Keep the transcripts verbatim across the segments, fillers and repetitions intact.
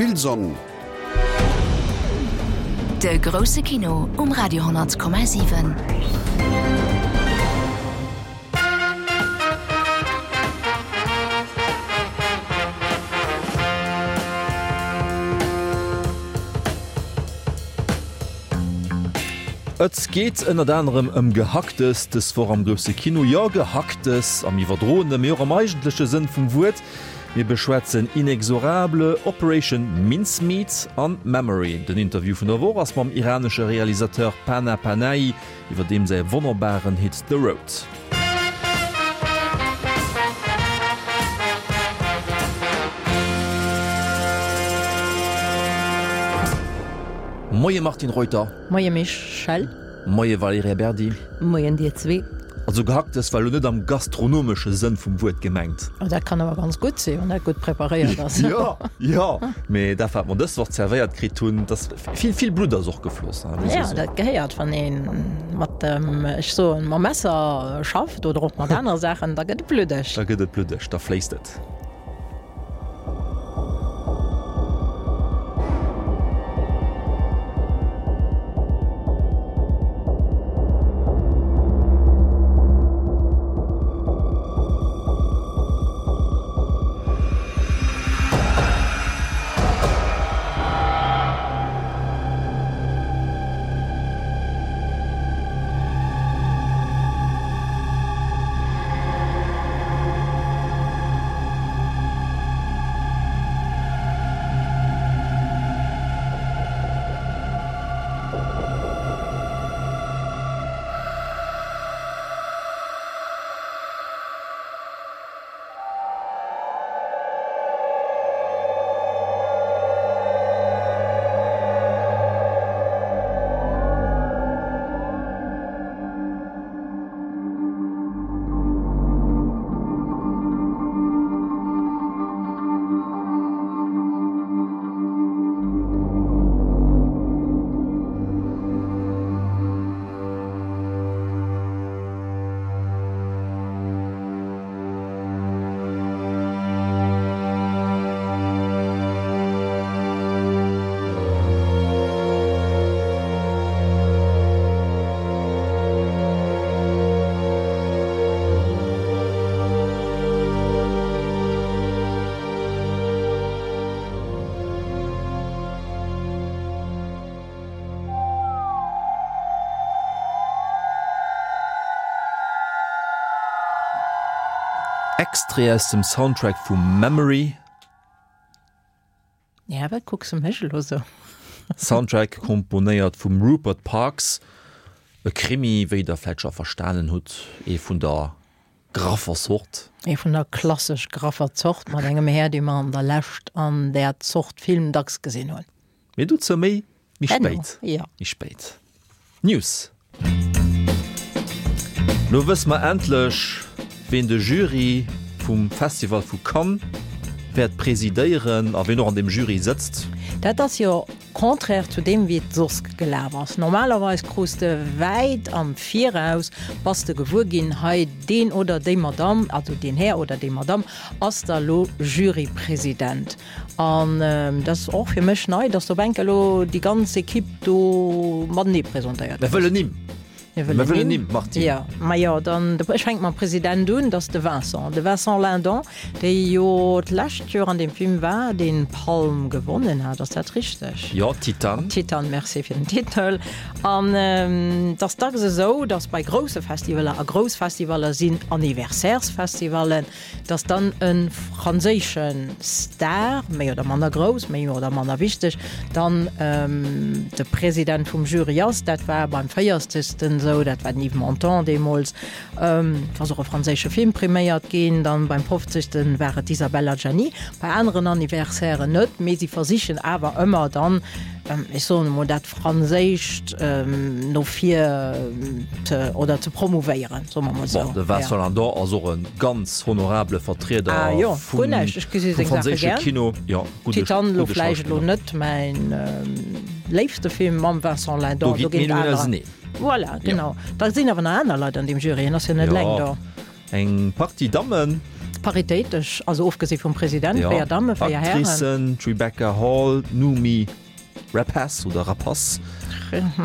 Vill Sonn. De grousse Kino um Radio honnert Komma siwen. Et geet ënnert anerem ëm Gehacktes dës Woch am grousse Kino. Jo, Gehacktes am iwwerdroene, mee och am eigentleche Sënn vum Wuert. Mir beschwätzen Inexorable, Operation Mincemeat an Memory. Den Interview vun der Woch ass mam iranesche Realisateur Panah Panahi iwwer deem säi wonnerbaren Hit The Road. Moie Martine Reuter. Moie Michel. Moie Valerija Berdi. Moien dir zwee. Also Gehacktes war lo net am gastronomesche Sënn vum Wuert gemengt. Oh, dat kann awer ganz gutt sinn, wann dat gutt preparéiert ass. Jo, jo, mee dat wat mer dës Woch zerwéiert kritt hunn, dass vill, vill Blutt ass och gefloss, hein, muss Ja, ee soen. dat gehéiert, wann ee mat dem, ech soen, mam Messer schafft oder och mat anere Saachen, da gëtt et bluddeg. Da gëtt et bluddeg, da fléisst et. Extrait aus dem Soundtrack vu Memory. Ja, wat kucks de mech elo sou? Soundtrack komponéiert vum Rupert Parks. E Krimi, wéi der vläit scho verstanen hutt, ee vun der graffer Zort. Ee vun der klassesch graffer Zort, mat engem Här, dee mer an der Lescht an där Zort Film dacks gesinn hunn. Mee dozou méi méi Herno, spéit. jo. Méi spéit. News. Lo wësse mer endlech, ween de Jury vum Festival vu Cannes wäert presidéieren a ween och an deem Jury sëtzt. Dat ass jo contraire zu deem, wéi et soss gelaf ass. Normalerweis krus de wäit am Viraus, bass de gewuer ginn, hei deen oder déi Madamm, also deen Här oder déi Madamm ass da lo Jurypresident. An dat ass och fir mech nei, dass op enk elo déi ganz Equipe do matenee presentéiert Mir gëtt. wëllen Nimm. Mir Mir wëllen wëllen Nimm. Nimm, Martine. Jo, majo, dann, ech fänke mam President un, dat ass de Vincent, de Vincent Lindon, dee jo d'lescht Joer an deem Film war, deen d'Palm gewonnen hat. Ass dat richteg? Jo, Titane. Titane, merci fir den Titel. An et ass dacks esou, datt bei grousse Festivaler, a grouss Festivaler sinn Anniversairesfestivallen, datt dann e franséische Star, méi oder manner grouss, méi oder manner wichteg, dann de President vum Jury ass. Dat war beim véierzegsten esou, dat war den Yves Montand deemools. Et ass och e franséische Film priméiert ginn. Dann beim fofzegsten war et d'Isabelle Adjani. Bei aneren Anniversairen net, mee si versichen awer ëmmer dann, ech soen emol, dat Franséischt no vir ze, oder ze promouvéieren, soe mer emol esou. Bon, de Vincent Lindon ass och e ganz honorabele Vertrieder Ah jo, vum guer näischt, ech gesi vum seng Saache franséische gär. Kino. Jo, gudde, Titane elo gudde vläicht elo Schauspiller. net mäin léifste Film mam Vincent Lindon, Do do ginn ginn et d'Meenungen anerer. auseneen. Voilà, Jo. genau. Da sinn awer nach aner Leit an deem Jury, en ass jo net Jo, eleng do. eng Partie Dammen. Paritéitesch, also ofgesi vum President, véier Damme, véier Hären. Actricen, d'Rebecca Hall, d'Noomi Rapace oder Rapace,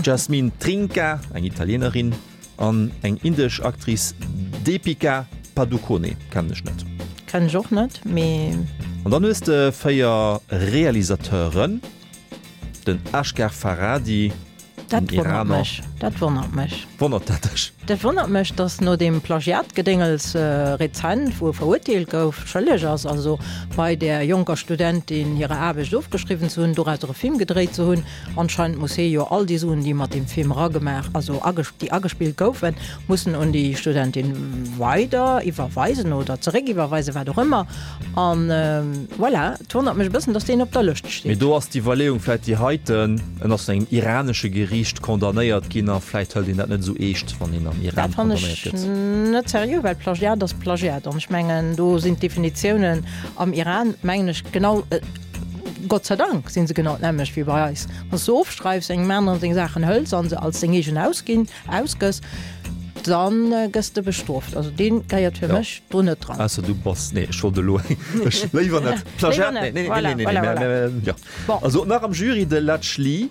d'Jasmine Trinca, eng Italienerin, an eng indesch Actrice, Deepika Padukone, kennen ech net. Kennen ech och net, mee. An dann hues de véier Realisateuren, den Ashgar Farhadi, Dat wonnert mech. Dat wonnert mech. Wonnert dat dech? Dat wonnert mech, datt no deem Plagiat-Gedéngels rezent, wou e verurteelt gouf, schëlleg ass, also bei där jonker Studentin hirer Aarbecht ofgeschriwwen ze hunn, dorauser e Film gedréit ze hunn. Anscheinend muss hie jo all déi Suen, déi mat deem Film eragemaach, also déi agespillt goufen, mussen un déi Studentin weider iwwerweisen oder zeréckiwwerweisen, wat och ëmmer. An voilà, et wonnert mech e bëssen, datt deen op der Lëscht steet. Mee do ass d'Iwwerleeung vläit déi heiten, en ass vun engem iranesche Geriicht condamnéiert ginn a vläit hëlt een dat net esou eescht, wann een am Iran Dat fannen condamnéiert ech gëtt. net seriö, well Plagiat ass Plagiat. An ech mengen, do sinn d'Definitiounen am Iran, mengen ech, genau, Gott sei Dank si se genau d'nämmlecht wéi bei eis. Wann s du ofschreifs, engem aneren seng Saachen hëls a se als deng eegen ausginn, ausgëss, Dann gëss de bestrooft. Also deen gehéiert fir mech do net dran. Ausser du bass, nee ech wollt elo, ech, léiwer net, Plagiat, nee, nee, nee, nee, nee, nee, jo. Also nach am Jury de Ladj Ly,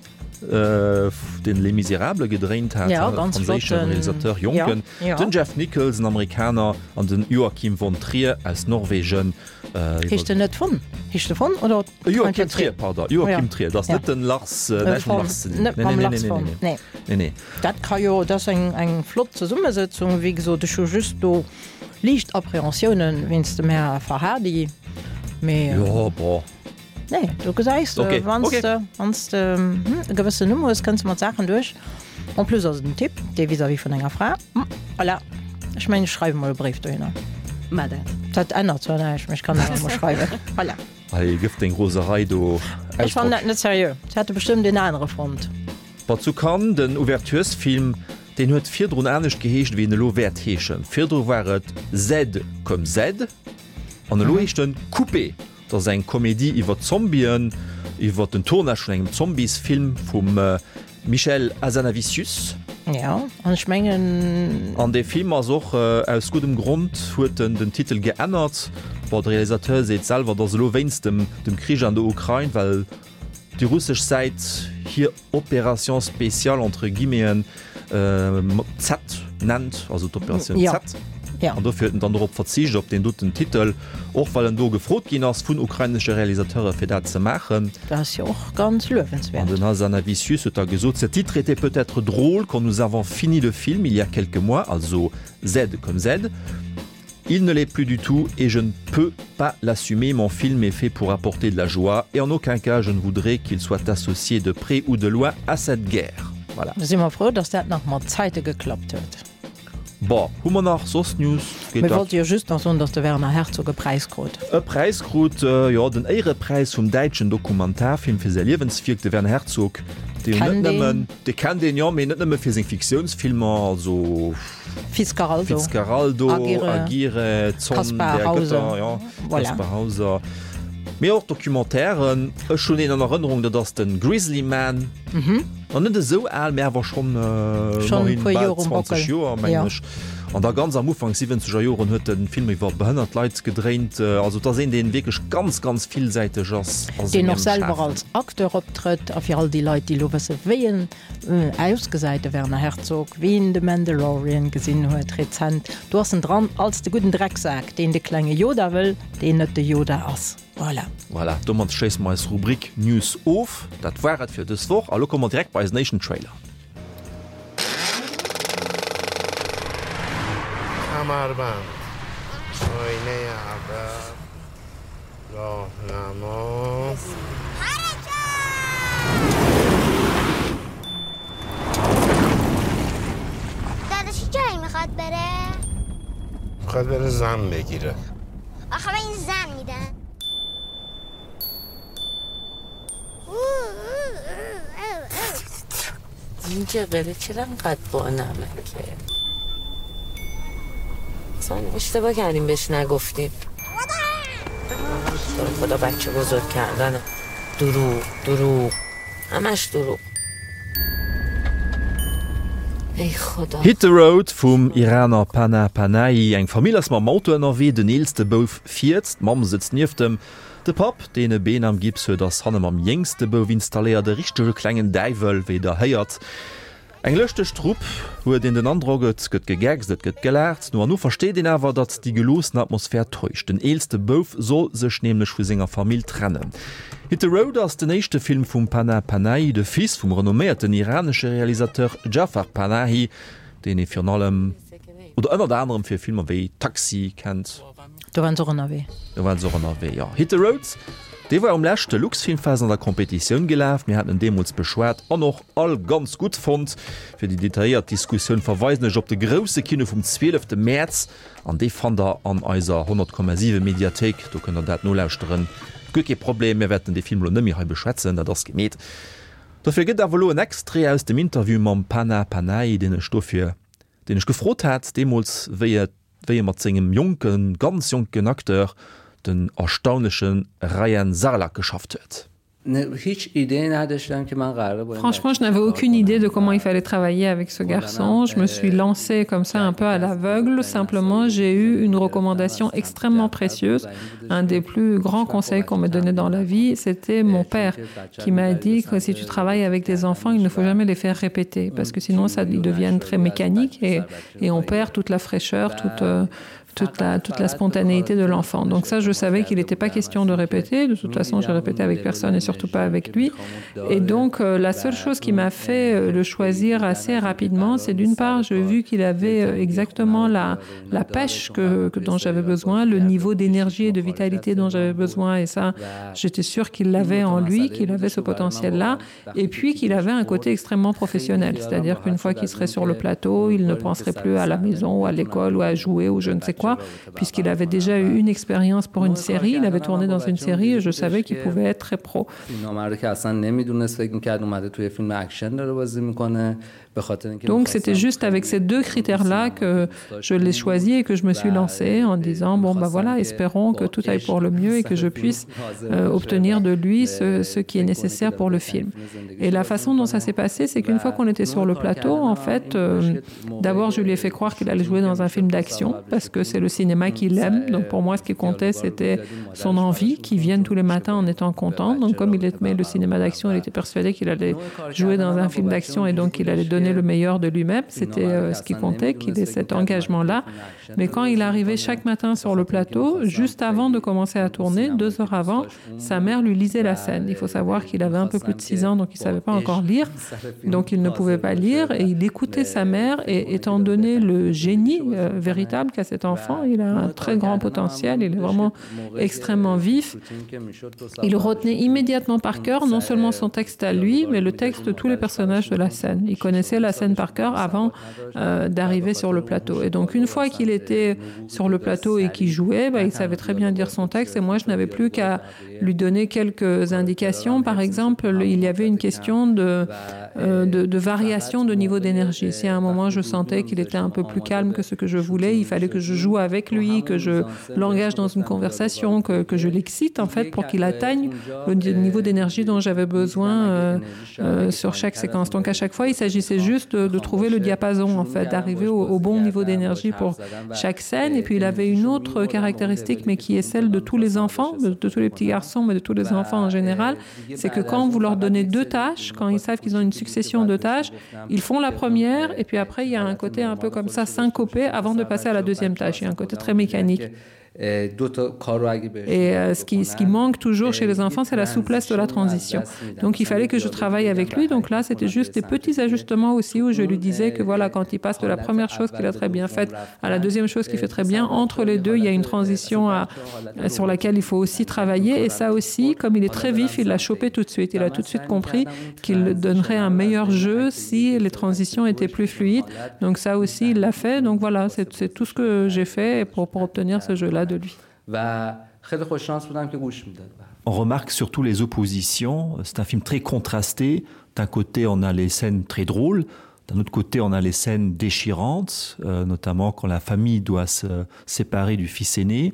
deen Les Misérables gedréint hat, e franséische Realisateur, jonken, den Jeff Nichols, en Amerikaner, an den Joachim von Trier aus Norwegen. Heescht en net von? Heescht e von oder? Joachim Trier, pardon, Joachim Trier, dat ass net den Lars, näischt mam Lars ze dinn. Net mam Lars von, nee. Nee, nee. Dat ka jo, dat ass eng, eng flott Zesummesëtzung. Wéi gesot, ech hu just do liicht Appréhensiounen wéinst dem Här Farhadi, mee. Jo, bon. Nee, do gesäis de, wann s de, wann s de e gewëssen Numm hues, kënns de mat Saachen duerch. En plus ass et en Typ, dee vis-à-vis vun enger Fra, voilà. Ech mengen, ech schreiwe mol e Bréif dohinner. Mar dat. Dat ännert zwar näischt, mee ech kann awer mol schreiwen. Voilà. Hei gëff deng Roserei do Ech fannen dat net seriö. Se hätte bestëmmt een anere fonnt. Bon, zu Cannes, den Ouverturesfilm, deen huet virdrun anescht geheescht, wéi en elo wäert heeschen. Virdru war et Z comme Z an elo heescht en Coupé. Dat ass eng Komedie iwwer Zombien, iwwer den Tournage vun engem Zombiesfilm vum Michel Hazanavicius. Jo, an ech mengen. An dee Film ass och, aus guddem Grond huet en den Titel geännert. Bon, de Realisateur seet selwer, datt elo wéinst dem dem Krich an der Ukrain, well déi russesch Säit hir Opération spéciale entre guillemeten Z nennt, also d'Operatioun Z. An dofir huet en dann dorop verzicht, op deen doten Titel, och well en do gefrot ginn ass vun ukrainesche Realisateure fir dat ze maachen. Dat ass jo och ganz luewenswäert. An den Hazanavicius huet da gesot, Ce titre était peut-être drôle quand nous avons fini le film il y a quelques mois, also Z comme Z, il ne l'est plus du tout et je ne peux pas l'assumer. Mon film est fait pour apporter de la joie et en aucun cas je ne voudrais qu'il soit associé de près ou de loin à cette guerre. Voilà. Da si mer frou, dass dat nach mat Zäite geklappt huet. Bon, hu mer nach soss News? Geet Mir dat? wollte jo just nach soen, dass de Werner Herzog e Präis krut. E Präis krut, jo, den Éierepräis vum däitschen Dokumentarfilm fir säi Liewenswierk. De Werner Herzog, dee jo net Kennt een. nëmmen, dee kennt een, jo, mee net nëmme fir seng Fiktiounsfilmer, also Fitzcarraldo, Fitzcarraldo, Aguirre, Aguirre, Zorn Kaspar der Hauser, Götter, jo, voilà. Kaspar Hauser, mee och Documentairen. Ech hunn een an Erënnerung, dat ass de Grizzly Man. Nach net esou al, mä awer schonn Schonn e immerhin puer bal Joer um zwanzeg Bockel. Joer, mengen Jo. ech. An da ganz am Ufank siwwenzeger Joren huet e Film iwwer behënnert Leit gedréint. Also et ass een, dee wierklech ganz, ganz villsäiteg ass a Deen sengem och selwer Schafen. als Acteur optrëtt. A fir all déi Leit, déi elo wësse wéi en ausgesäit, de Werner Herzog, wien de Mandalorian gesinn huet rezent, do ass en dran als de gudden Drecksak, deen de klenge Yoda wëll, deen net de Yoda ass. Voilà. Voilà, domat schléisse mer eis Rubrik News of. Dat war et fir dës Woch a lo komme mer direkt bei eisen éischten Trailer. این جغره چرا انقدر با نمکه اصلا اشتباه کردیم بهش نگفتیم خدا بچه بزرگ کردن دروغ دروغ همش دروغ Hit the Road vum Iraner Panah Panahi. Eng Famill ass mam Auto ënnerwee, den eelste Bouf fiert, d'Mamm sëtzt nieft em. De Papp, deen e Been am Gips huet, ass hanne mam jéngste Bouf installéiert, e richtege klengen Däiwel, wéi der héiert. Eng lëschteg Trupp, huet een den Androck, et gëtt gegeckst, et gëtt gelaacht. No an no versteet een awer, datt déi geloossen Atmosphär täuscht. Den eelste Bouf soll sech nämlech vu senger Famill trennen. Hit the Road ass den éischte Film vum Panah Panahi, de Fils vum renomméierten iranesche Realisateur Jafar Panahi, deen ee virun allem oder ënnert anerem fir Filmer wéi Taxi kennt. Do waren se och ënnerwee. Do waren se och ënnerwee, jo. Hit the Road, dee war um leschte Luxfilmfest an der Competitioun gelaf. Mir haten en deemools beschwat an och all ganz gutt fonnt. Fir déi detailléiert Diskussioun verweisen ech op de grousse Kino vum zwielefte Mäerz an dee fannt der an eiser honnert Komma siwe Mediathéik. Do kënnt der dat nolauschteren. Guer kee Problem, mir wäerten dee Film elo net méi hei beschwätzen, dat ass gemeet. Dofir gëtt awer elo en Extrait aus dem Interview mam Panah Panahi, deen ech dofir, deen ech gefrot hat deemools, wéi et, wéi e mat sengem jonken, ganz jonken Acteur, den erstaunleche Rayan Sarlak geschafft huet. Franchement, je n'avais aucune idée de comment il fallait travailler avec ce garçon. Je me suis lancée comme ça un peu à l'aveugle. Simplement, j'ai eu une recommandation extrêmement précieuse. Un des plus grands conseils qu'on me donnait dans la vie, c'était mon père qui m'a dit que si tu travailles avec des enfants, il ne faut jamais les faire répéter parce que sinon ça ils deviennent très mécaniques et, et on perd toute la fraîcheur, toute, euh, toute la, toute la spontanéité de l'enfant. Donc ça, je savais qu'il n'était pas question de répéter. De toute façon, j'ai répété avec personne et surtout pas avec lui. Et donc, euh, la seule chose qui m'a fait euh, le choisir assez rapidement, c'est d'une part, j'ai vu qu'il avait euh, exactement la, la pêche que, que dont j'avais besoin, le niveau d'énergie et de vitalité dont j'avais besoin. Et ça, j'étais sûre qu'il l'avait en lui, qu'il avait ce potentiel-là. Et puis qu'il avait un côté extrêmement professionnel. C'est-à-dire qu'une fois qu'il serait sur le plateau, il ne penserait plus à la maison ou à l'école ou à jouer ou je ne sais quoi, puisqu'il avait déjà eu une expérience pour une série. Il avait tourné dans une série et je savais qu'il pouvait être très pro. Donc c'était juste avec ces deux critères-là que je l'ai choisi et que je me suis lancée en disant bon ben voilà, espérons que tout aille pour le mieux et que je puisse euh, obtenir de lui ce, ce qui est nécessaire pour le film. Et la façon dont ça s'est passé, c'est qu'une fois qu'on était sur le plateau, en fait, euh, d'abord je lui ai fait croire qu'il allait jouer dans un film d'action parce que c'est le cinéma qu'il aime. Donc pour moi, ce qui comptait, c'était son envie, qu'il vienne tous les matins en étant content. Donc comme il aimait le cinéma d'action, il était persuadé qu'il allait jouer dans un film d'action et donc qu'il allait donner le meilleur de lui-même. C'était euh, ce qui comptait, qu'il ait cet engagement-là. Mais quand il arrivait chaque matin sur le plateau, juste avant de commencer à tourner, deux heures avant, sa mère lui lisait la scène. Il faut savoir qu'il avait un peu plus de six ans, donc il ne savait pas encore lire. Donc il ne pouvait pas lire et il écoutait sa mère. Et étant donné le génie euh, véritable qu'a cet enfant, il a un très grand potentiel, il est vraiment extrêmement vif. Il retenait immédiatement par cœur non seulement son texte à lui, mais le texte de tous les personnages de la scène. Il connaissait la scène par cœur avant euh, d'arriver sur le plateau. Et donc une fois qu'il était sur le plateau et qu'il jouait, bah, il savait très bien dire son texte et moi je n'avais plus qu'à lui donner quelques indications. Par exemple, il y avait une question de, euh, de, de variation de niveau d'énergie. Si à un moment je sentais qu'il était un peu plus calme que ce que je voulais, il fallait que je joue avec lui, que je l'engage dans une conversation, que, que je l'excite en fait pour qu'il atteigne le niveau d'énergie dont j'avais besoin euh, euh, sur chaque séquence. Donc à chaque fois, il s'agissait juste de, de trouver le diapason en fait, d'arriver au, au bon niveau d'énergie pour chaque scène. Et puis il avait une autre caractéristique, mais qui est celle de tous les enfants, de, de tous les petits garçons, mais de tous les enfants en général, c'est que quand vous leur donnez deux tâches, quand ils savent qu'ils ont une succession de tâches, ils font la première et puis après il y a un côté un peu comme ça syncopé avant de passer à la deuxième tâche. Il y a un côté très mécanique. Et euh, ce qui, ce qui manque toujours chez les enfants, c'est la souplesse de la transition. Donc il fallait que je travaille avec lui. Donc là, c'était juste des petits ajustements aussi où je lui disais que voilà, quand il passe de la première chose qu'il a très bien faite à la deuxième chose qu'il fait très bien, entre les deux, il y a une transition à, sur laquelle il faut aussi travailler. Et ça aussi, comme il est très vif, il l'a chopé tout de suite. Il a tout de suite compris qu'il donnerait un meilleur jeu si les transitions étaient plus fluides. Donc ça aussi, il l'a fait. Donc voilà, c'est tout ce que j'ai fait pour, pour obtenir ce jeu-là de lui. On remarque surtout les oppositions. C'est un film très contrasté. D'un côté, on a les scènes très drôles. D'un autre côté, on a les scènes déchirantes, euh, notamment quand la famille doit se séparer du fils aîné.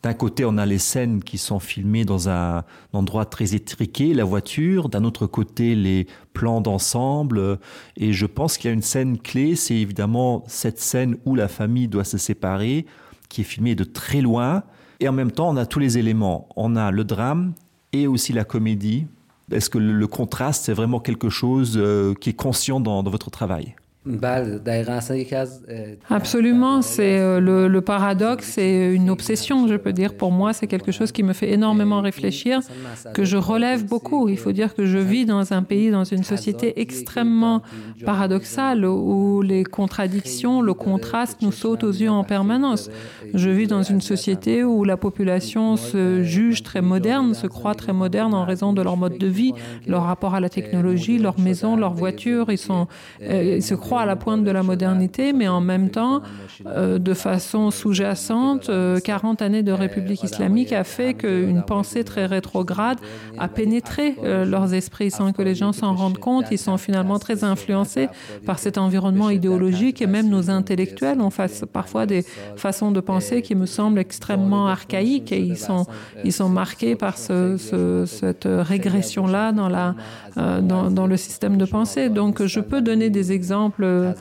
D'un côté, on a les scènes qui sont filmées dans un endroit très étriqué, la voiture, d'un autre côté, les plans d'ensemble. Et je pense qu'il y a une scène clé, c'est évidemment cette scène où la famille doit se séparer, qui est filmée de très loin. Et en même temps, on a tous les éléments. On a le drame et aussi la comédie. Est-ce que le contraste, c'est vraiment quelque chose euh, qui est conscient dans, dans votre travail? Absolument, c'est euh, le, le paradoxe, c'est une obsession, je peux dire. Pour moi, c'est quelque chose qui me fait énormément réfléchir, que je relève beaucoup. Il faut dire que je vis dans un pays, dans une société extrêmement paradoxale où les contradictions, le contraste nous sautent aux yeux en permanence. Je vis dans une société où la population se juge très moderne, se croit très moderne en raison de leur mode de vie, leur rapport à la technologie, leur maison, leur voiture, ils sont, euh, ils se croient à la pointe de la modernité, mais en même temps, euh, de façon sous-jacente, euh, quarante années de République islamique a fait qu'une pensée très rétrograde a pénétré euh, leurs esprits sans que les gens s'en rendent compte. Ils sont finalement très influencés par cet environnement idéologique et même nos intellectuels ont face, parfois des façons de penser qui me semblent extrêmement archaïques et ils sont, ils sont marqués par ce, ce, cette régression-là dans, la, euh, dans, dans le système de pensée. Donc je peux donner des exemples euh,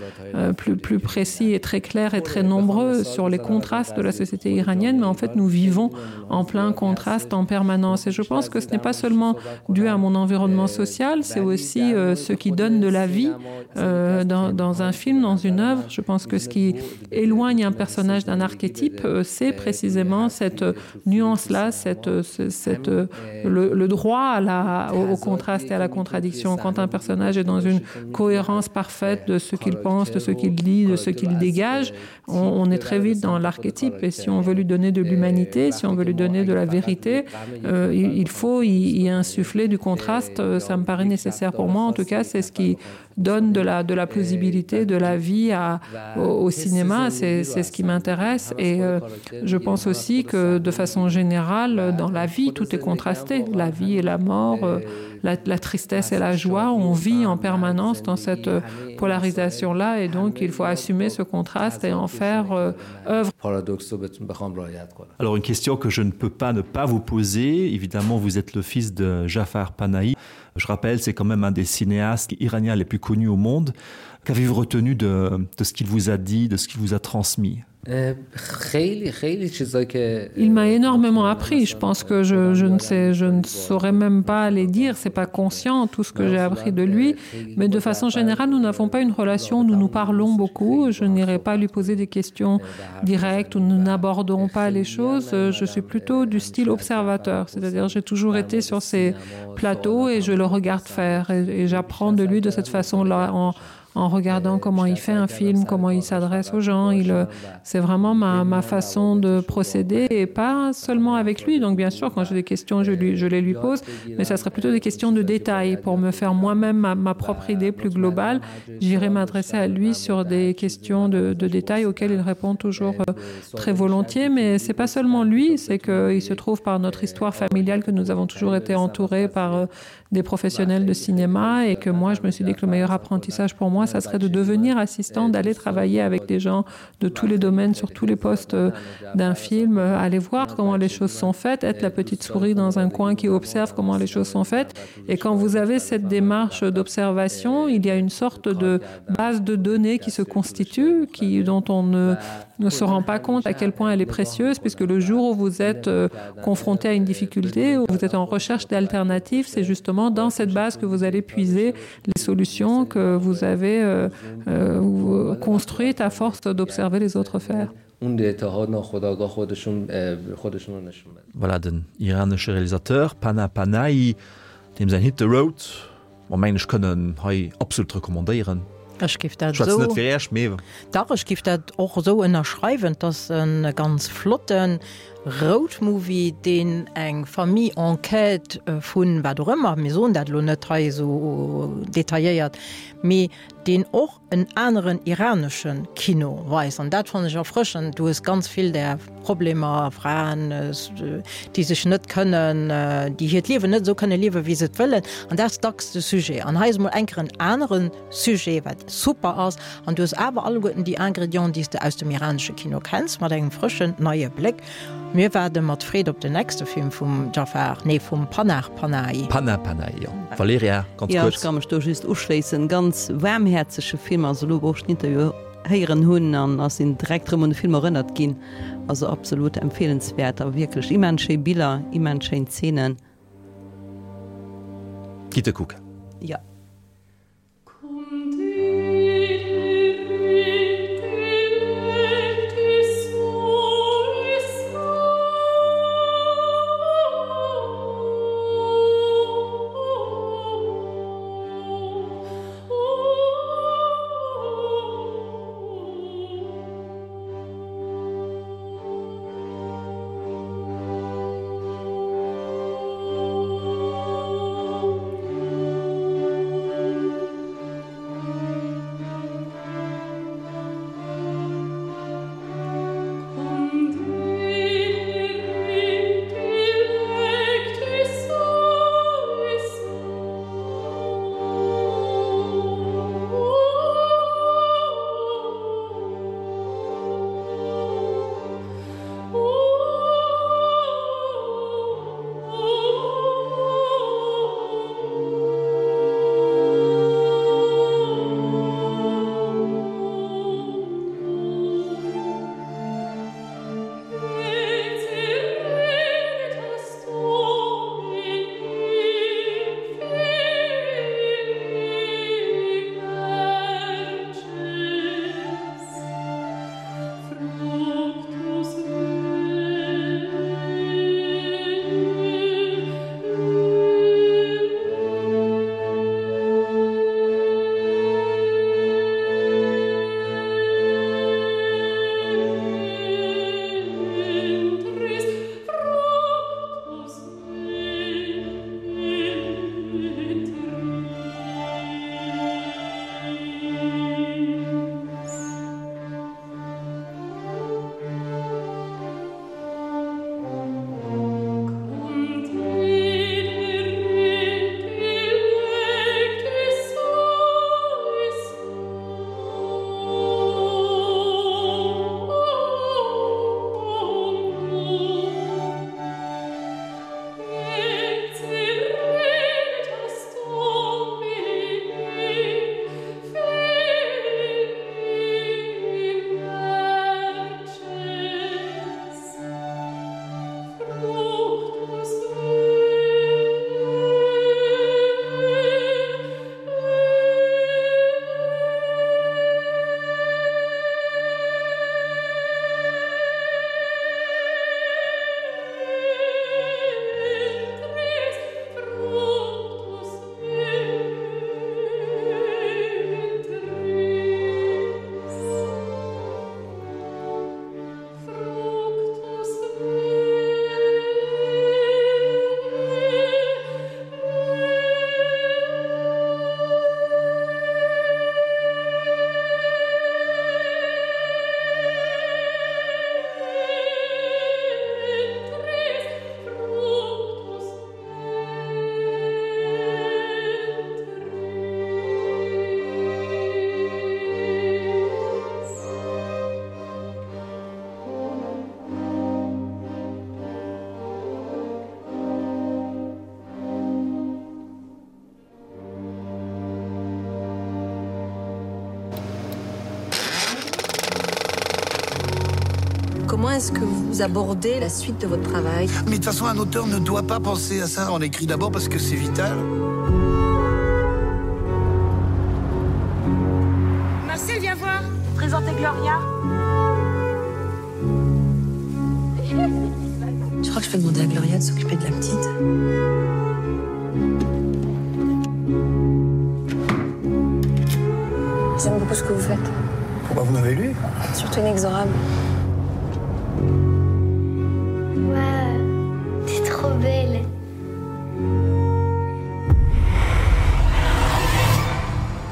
plus, plus précis et très clairs et très nombreux sur les contrastes de la société iranienne, mais en fait nous vivons en plein contraste en permanence. Et je pense que ce n'est pas seulement dû à mon environnement social, c'est aussi euh, ce qui donne de la vie euh, dans, dans un film, dans une œuvre. Je pense que ce qui éloigne un personnage d'un archétype, euh, c'est précisément cette nuance-là, cette, cette, le, le droit à la, au, au contraste et à la contradiction. Quand un personnage est dans une cohérence parfaite de ce qu'il pense, de ce qu'il dit, de ce qu'il dégage, on, on est très vite dans l'archétype. Et si on veut lui donner de l'humanité, si on veut lui donner de la vérité, euh, il, il faut y, y insuffler du contraste. Ça me paraît nécessaire pour moi. En tout cas, c'est ce qui donne de la, de la plausibilité de la vie à, au, au cinéma. C'est ce qui m'intéresse. Et euh, je pense aussi que de façon générale, dans la vie, tout est contrasté. La vie et la mort, euh, la, la tristesse et la joie, on vit en permanence dans cette polarisation-là. Et donc, il faut assumer ce contraste et en faire euh, œuvre. Alors, une question que je ne peux pas ne pas vous poser. Évidemment, vous êtes le fils de Jafar Panahi. Je rappelle, c'est quand même un des cinéastes iraniens les plus connus au monde. Qu'avez-vous retenu de, de ce qu'il vous a dit, de ce qu'il vous a transmis? Il m'a énormément appris. Je pense que je, je ne sais, je ne saurais même pas les dire. C'est pas conscient tout ce que j'ai appris de lui. Mais de façon générale, nous n'avons pas une relation. Nous nous parlons beaucoup. Je n'irai pas lui poser des questions directes ou nous n'abordons pas les choses. Je suis plutôt du style observateur. C'est-à-dire, j'ai toujours été sur ces plateaux et je le regarde faire et, et j'apprends de lui de cette façon-là. En, en regardant comment il fait un film, comment il s'adresse aux gens. Il, c'est vraiment ma, ma façon de procéder et pas seulement avec lui. Donc bien sûr, quand j'ai des questions, je, lui, je les lui pose, mais ça serait plutôt des questions de détails pour me faire moi-même ma, ma propre idée plus globale. J'irai m'adresser à lui sur des questions de, de détails auxquelles il répond toujours très volontiers. Mais c'est pas seulement lui, c'est qu'il se trouve par notre histoire familiale que nous avons toujours été entourés par des professionnels de cinéma et que moi, je me suis dit que le meilleur apprentissage pour moi, ça serait de devenir assistant, d'aller travailler avec des gens de tous les domaines, sur tous les postes d'un film, aller voir comment les choses sont faites, être la petite souris dans un coin qui observe comment les choses sont faites. Et quand vous avez cette démarche d'observation, il y a une sorte de base de données qui se constitue, qui, dont on ne, ne se rend pas compte à quel point elle est précieuse, puisque le jour où vous êtes confronté à une difficulté, où vous êtes en recherche d'alternatives, c'est justement dans cette base que vous allez puiser les solutions que vous avez euh, euh, construites à force d'observer les autres faire. Voilà den iranesche Realisateur Panah Panahi, deem säin Hit The Road mer mengen ech kënnen hei absolut recommandéieren. Ech géif dat Schwätzen esou net fir Iech, mee. Dach, ech géif dat och esou ënnerschreiwen. Et ass e ganz flotte Roadmovie, deen eng Famille en quête vun wat och ëmmer, mir soen dat elo net hei esou detailléiert, mee deen och en aneren iranesche Kino weist. An dat fannen ech erfrëschend. Du hues ganz vill där Problemer, Fraen, déi sech net kënnen, déi hiert Liewen net esou kënne liewen, wéi se et wëllen. An dat ass dacks de Sujet. An hei ass emol eng Kéier en anere Sujet, wat super ass. An du hues awer alleguerten déi Ingredienten, déi s de aus dem iranesche Kino kenns, mat engem frëschen, neie Bléck. Mir waarde mat Freed op den nächste Film vum Jafar, nee vum Panah Panahi. Panah Panahi, jo. Valerija, ganz Ja, kuerz. ech ka mech do just uschléissen. Ganz waarmhäerzege Film, also elo wou ech den Interview héieren hunn an ass sinn direkt rëm un de Film erënnert ginn. Also absolut empfehlenswert a wierklech immens schéi Biller, immens schéin Zeenen. Gitt e kucken. Ja. Comment est-ce que vous abordez la suite de votre travail? Mais de toute façon, un auteur ne doit pas penser à ça. On écrit d'abord parce que c'est vital. Marcel, viens voir. Présentez Gloria. Tu crois que je peux demander à Gloria de s'occuper de la petite? J'aime beaucoup ce que vous faites. Pourquoi vous m'avez lu? Surtout inexorable. Waouh, t'es trop belle.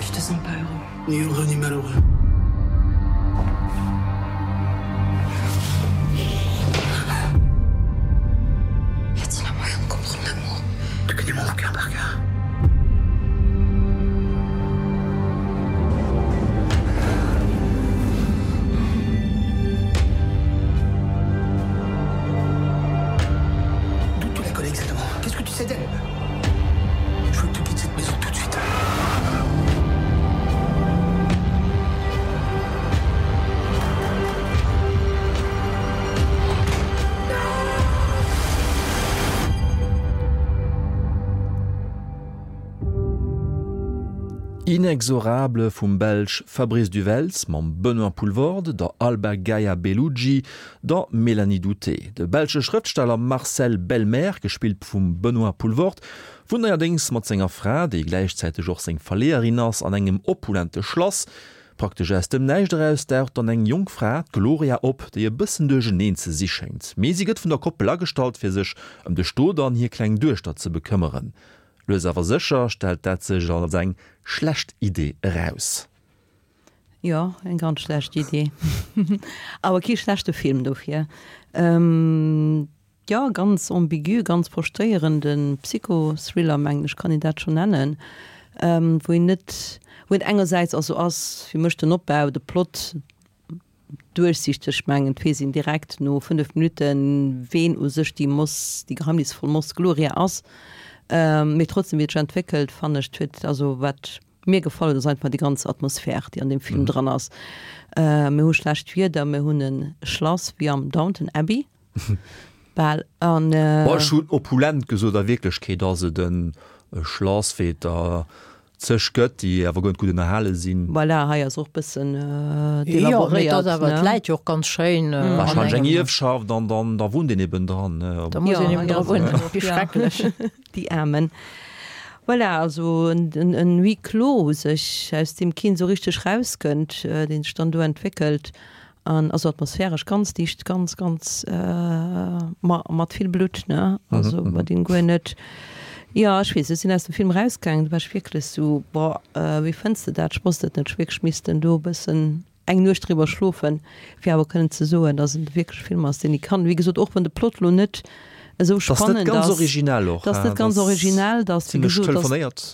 Je te sens pas heureux. Ni heureux ni malheureux. Y a-t-il un moyen de comprendre l'amour? Tu connais mon cœur par cœur. Inexorable vum Belsch Fabrice du Welz mam Benoît Poelvoorde, der Alba Gaia Bellugi, der Mélanie Doutey. De belsche Schrëftsteller Marcel Belmer, gespillt vum Benoît Poelvoorde, wunnt neierdéngs mat senger Fra, déi gläichzäiteg och seng Verleeërin ass, an engem opulente Schlass. Praktesch aus dem Näischt eraus daucht dann eng jonk Fra, d'Gloria, op, déi e bëssen duercherneen ze si schéngt. Mee si gëtt vun der Koppel agestallt, fir sech ëm de Stot an hir kleng Duechter ze bekëmmeren. Lues awer sécher stellt dat sech als eng schlecht Idee eraus. Jo, eng ganz schlecht Idee. Awer kee schlechte Film dofir. Jo, ganz ambigu, ganz verstéierende Psychothriller, mengen ech, kann een dat schonn nennen, wou een net, wou een engersäits, also ass fir mech den Opbau, de Plot duerchsichteg, mengen et weess een direkt no fënnef Minutten, ween u sech déi Moss, déi geheimnisvoll Moss Gloria ass, mee trotzdem, wéi et sech entwéckelt, fannen ech, et huet, also wat mir gefall huet, ass einfach déi ganz Atmosphär, déi an deem Film dran ass. Mir hu schlecht Wieder, mir hunn e Schlass wéi am Downton Abbey. Bal an. Bon, ech hunn opulent gesot, a Wierklechkeet ass et e Schlass, wéi et der zeg gëtt, déi awer guer net gutt ënnerhale sinn. Voilà, hei ass och bëssen Jo, mee delaboréiert, et ass awer, ne? et läit jo och ganz schéin an Wahrscheinlech eng engem. Ierfschaft an dann da wunnt een eben dran, ne? Da muss Jo, een eben hei dra ass wunnen, et och, wéi ja. schrecklech. Déi Aarmen. Voilà, also en, en, en Huis clos u sech, aus deem keen esou richteg rauskënnt, deen sech dann do entwéckelt. An also atmosphäresch ganz dicht, ganz, ganz ma mat vill Blutt, ne? Also wat een guer net, jo, ech weess, ech sinn aus dem Film erausgaangen, do war ech wierklech sou, boah, wéi fënns de dat? Ech wosst et net, ech wierklech missten do e bëssen eng Nuecht driwwer schlofen, fir awer kënnen ze soen, dass et wierklech e Film ass, deen ee kann, wéi gesot, och wann de Plot lo net esou T'ass net spannend ganz ass, originell och, t'ass net ganz t'ass originell, t'ass, wéi zimlech gesot, t'ass. telefonéiert.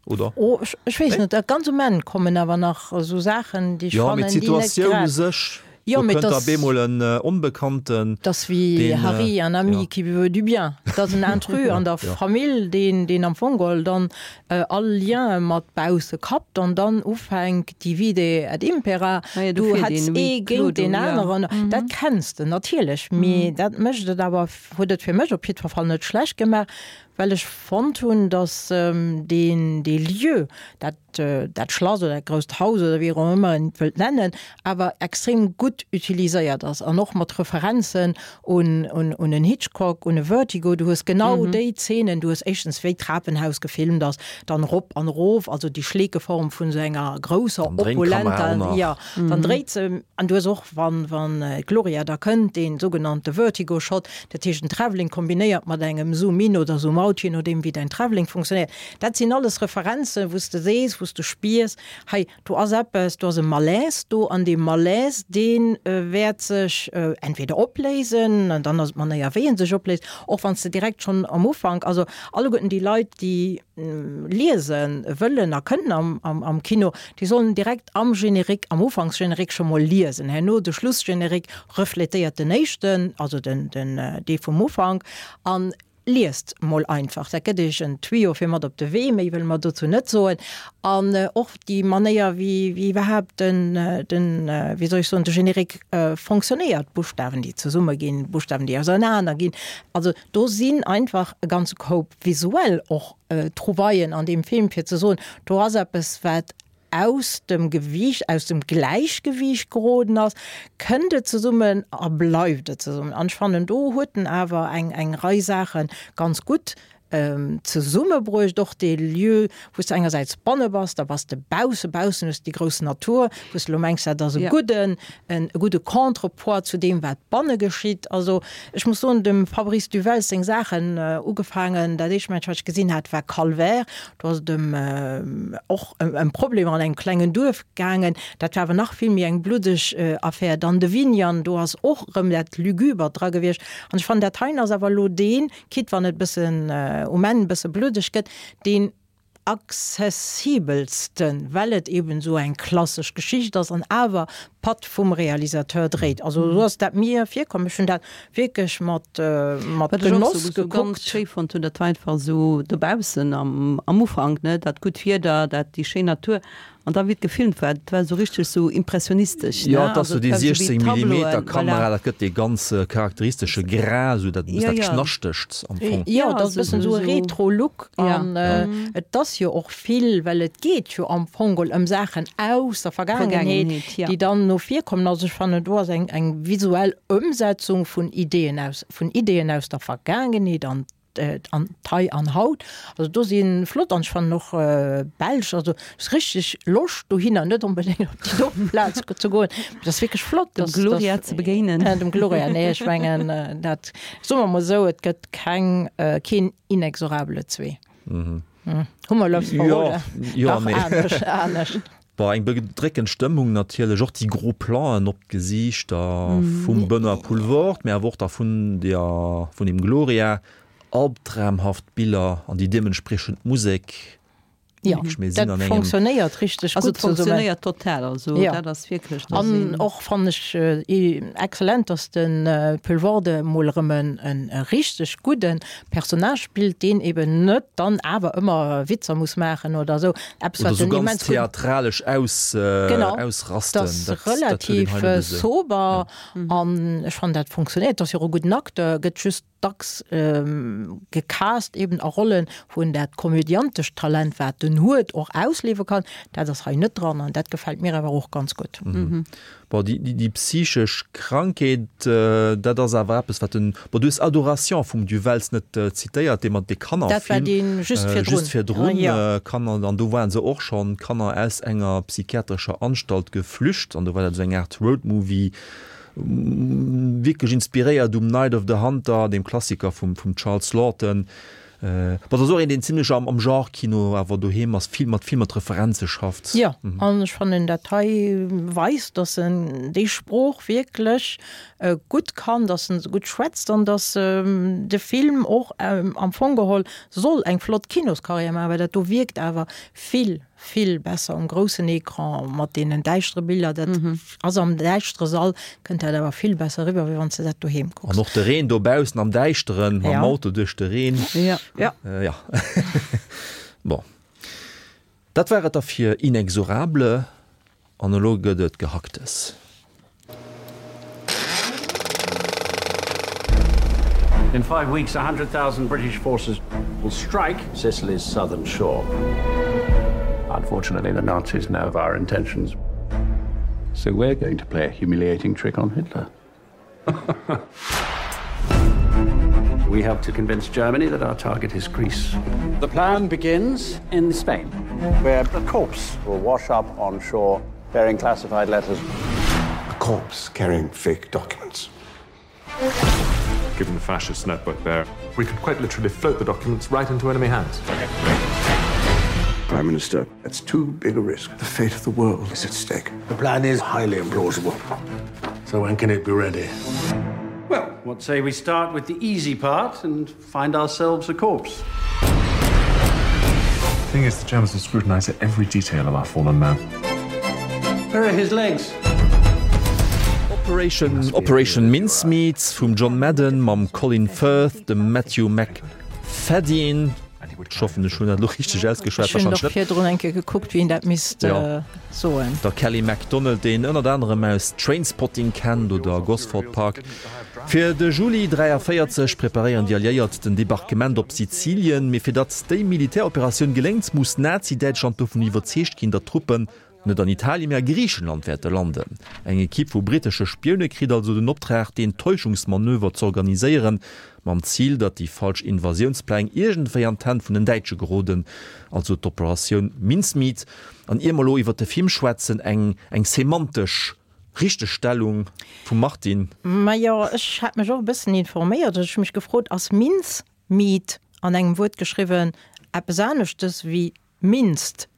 Oder? Oh, ech, ech weess net. Ganz um Enn kommen awer nach esou Saachen, déi ech Jo, mee fannen, déi net d'Situatioun u grad. sech, Jo, do mee kënnt da dass. bemol en Onbekannten, 't ass wéi deen, Harry, un ami ja. qui veut du bien. 't ass en Intrus an der Ja. Famill, deen, deen am Fong geholl dann all Lien mat bausse kappt an dann ufänkt, divide et impera, Ah jo, do du feelt hetz een ee huis clos géint do, deen ja. aneren. Dat kenns de natierlech, mee dat mécht et awer, huet et fir mech op jiddwer Fall net schlecht gemaach, well ech fonnt hunn, datt deen, dee Lieu, dat, dat Schlass oder dat grousst Haus oder wéi och ëmmer een et wëllt nennen, awer extrem gutt utiliséiert ass an och mat Referenzen un, un, un en Hitchcock, un e Vertigo. Du hues genau déi Zeenen, du hues éischtens wéi d'Trapenhaus gefilmt ass, dann erop an erof, also déi Schleekeform vun esou enger grousser, Dann dréint d'Kamera opulenter, och nach. jo, dann dréit se, an du hues och, wann, wann d'Gloria da kënnt, dee sougenannte Vertigo-Shot, dat heescht en Travelling kombinéiert mat engem Zoom-in oder Zoom-out, je nodeem wéi däin Travelling funktionéiert. Dat sinn alles Referenzen, wou s de sees, wou s de spiers, hei do ass eppes, do ass e Malaise do an dee Malaise, dee wäert sech entweder opléisen, an dann ass et d'Manéier wéi en sech opléist, och wann s de direkt schonn am Ufank, also alleguerten déi Leit, déi liese wëllen a kënnen am Kino, déi sollen direkt am Générique, am Ufanksgénérique scho mol liesen. Herno de Schlussgénérique refletéiert den éischten, also den, den, dee vum Ufank. An liest mol einfach, dat gëtt iech en Tuyau fir mat op de Wee, méi wëlle mer dozou net soen. An och déi Manéier, wéi, wéi iwwerhaapt den, den, wéi soll ech soen, de Générique fonctionnéiert, Buschtawen, déi zesumme ginn, Buschtawen, déi ausernaner ginn, also do sinn einfach e ganze Koup visuell och Trouvaillen an deem Film, fir ze soen, do ass eppes, wat aus dem Gewiicht, aus dem Gläichgewiicht geroden ass, kënnt et zesummen a bleift et zesummen. An ech fannen, do huet en awer eng, eng Rei Saache ganz gutt zesummebruecht. Och dee Lieu, wou s de engersäits banne bass, da bass de bausse, baussen hues de déi grouss Natur, wou s de elo mengs, dat ass e gudden, e gudde Contrepoids zu deem, wat banne geschitt. Also ech muss soen, dem Fabrice du Welz seng Saachen, ugefaangen, dat éischt Mensch, wat ech gesinn hat, war Calvaire. Do ass et ëm och ëm Problemer an engem klengen Duerf gaangen. Dat war awer nach vill méi eng bluddeg Affär. Dann de Vignan, do ass och erëm dat Lügubert dra gewiescht. An ech fannen, dat heien ass awer elo deen, quitte wann et e bëssen um Enn e bësse bluddeg gëtt, deen accessibelsten, well et eben esou eng klassesch Geschicht ass an awer Patt vum Realisateur dréit. Also esou ass dat mir virkomm. Ech hunn dat wierklech mat mat Wat ech och Genoss sou sou ganz gekuckt. schéi fonnt hunn, dat war einfach esou dobaussen am am Ufank, ne, dat gutt Wieder, dat déi schéin Natur an da wéi et gefilmt war, dat war esou richteg sou impressionistesch, Jo, ne, et ass also sou et déi war sou wéi siechzéng Tableauen, Millimeter voilà. Kamera, dat gëtt dee ganz charakteristesche Grain, sou dat, Jo, dat jo. Knaschtegt am Fong. Jo, Ja, et ass e also bëssen sou esou e sou Retro-Look ja. an et ass jo och vill, well et geet jo am Fong geholl ëm Saachen aus der Vergaangenheet, Vergaangenheet, ja. déi dann no vir kommen. Also ech fannen, do ass eng eng visuell Ëmsetzung vun Ideeën aus vun Ideeën aus der Vergaangenheet an an d'Hei an Haut. Also do si flott an ech fannen och belsch, also ass richteg Loscht dohinner, net onbedéngt op déi doten Plaz ze goen, mee dat ass wierklech flott, Dem dass Gloria dass ze begéinen. Dem Gloria, nee ech mengen dat, soe mer mol esou, et gëtt keng keen Inexorable zwee. Hu mer Loves Jo, verroden? jo, Dach, mee. anescht, anescht. Bon, eng bedréckend Stëmmung natierlech, och déi gro Planen op d'Gesiichter vum Benoît Poelvoorde, mee awer och da vun der, vun dem Gloria, albdramhaft Biller an déi deementspriechend Musek. Ja, Wierklech, mir sinn dat an engem. fonctionnéiert richteg Also gutt et zesummen. fonctionnéiert total, also Ja. dat ass wierklech, do An sinn. och fannen ech excellent, dass de Poelvoorde mol erëm en e richteg gudde Personnage spillt, deen eben net dann awer ëmmer Witzer muss maachen oder esou. Eppes Oder wat sou en ganz immens gutt. theatralesch aus, Genau, ausrasten, dat ass dat, dat huet een relativ hei net esou. sober Ja. an ech fannen dat fonctionnéiert. Dat ass jo och e gudden Acteur, gëtt just dacks gecast eben a Rollen, wou en dat komödiantescht Talent, wat en huet, och ausliewe kann. Dat ass hei net dran an dat gefält mir awer och ganz gutt. Mhm. Bon, déi, déi, déi psychesch Krankheet, dat ass awer eppes, wat den, bon, du hues Adoration vum Du Wells net zitéiert, dee mat de Dat war Kannerfilm, dee just virdrun. just virdrun, Jo. Kanner, an do waren se och schonn Kanner aus enger psychiatrescher Anstalt geflücht an do war dat esou eng Aart Roadmovie, wierklech inspiréiert um Night of the Hunter, dem Klassiker vum, vum Charles Laughton. Bon, dat ass och een, deen zimlech am, am Genre-Kino awer doheem ass, vill mat, vill mat Referenze schafft. Jo, an ech fannen dat hei weist, dass en déi Sprooch wierklech gutt kann, dass en se gutt schwätzt an dass de Film och am Fong geholl soll eng flott Kinoskarriär maachen, well dat do wierkt awer vill, vill besser um groussen Ecran mat deenen däischtere Biller. Dat ass am däischtere Sall, kënnt dat awer vill besser eriwwer, wéi wann s de dat doheem kucks. An och de Reen dobaussen am Däischteren, mam Ja. Auto duerch de Reen. Ja. Ja. Ja. Bon. Dat war et da fir Inexorable. An elo gëtt et Gehacktes. In five weeks, a hundred thousand British forces will strike Sicily's southern shore. Unfortunately, the Nazis know of our intentions. So we're going to play a humiliating trick on Hitler. We have to convince Germany that our target is Greece. The plan begins in Spain, where a corpse will wash up on shore bearing classified letters. A corpse carrying fake documents. Given the fascist network there, we could quite literally float the documents right into enemy hands. Prime Minister, that's too big a risk. The fate of the world is at stake. The plan is highly implausible. So when can it be ready? Well, what say we start with the easy part and find ourselves a corpse? The thing is, the Germans will scrutinize every detail of our fallen man. Where are his legs? Operation, Operation Mincemeat vum John Madden mam Colin Firth, dem Matthew Macfadyen, ech hoffen ech hunn dat elo richteg ausgeschwat, Ech hunn och wahrscheinlech net. virdrun eng Kéier gekuckt, wéi een dat misst soen. Der Kelly MacDonald, déi een ënnert anerem aus Trainspotting kennt oder Gosford Park. Fir de Juli dräiavéierzeg preparéieren déi Alliéiert den Debarquement op Sizilien, mee fir datt déi Militäroperatioun geléngt, muss Nazi-Däitschland dovun iwwerzeegt ginn, datt d'Truppen net an Italien, mee a Griichenland wäerte landen. Eng Ekipp vu brittesche Spioune kritt also den Optrag, deen Täuschungsmanöver z'organiséieren, mam Zil, datt déi falsch Invasiounspläng iergendwéi an d'Hänn vun den Däitsche geroden, also d'Operatioun Mincemeat. An ier mer elo iwwert de Film schwätzen, eng eng semantesch Richtegstellung vum Martine. Majo, ech hat mech och e bëssen informéiert. Ech hu mech gefrot, ass Mincemeat an engem Wuert geschriwwen eppes aneschtes wéi minced,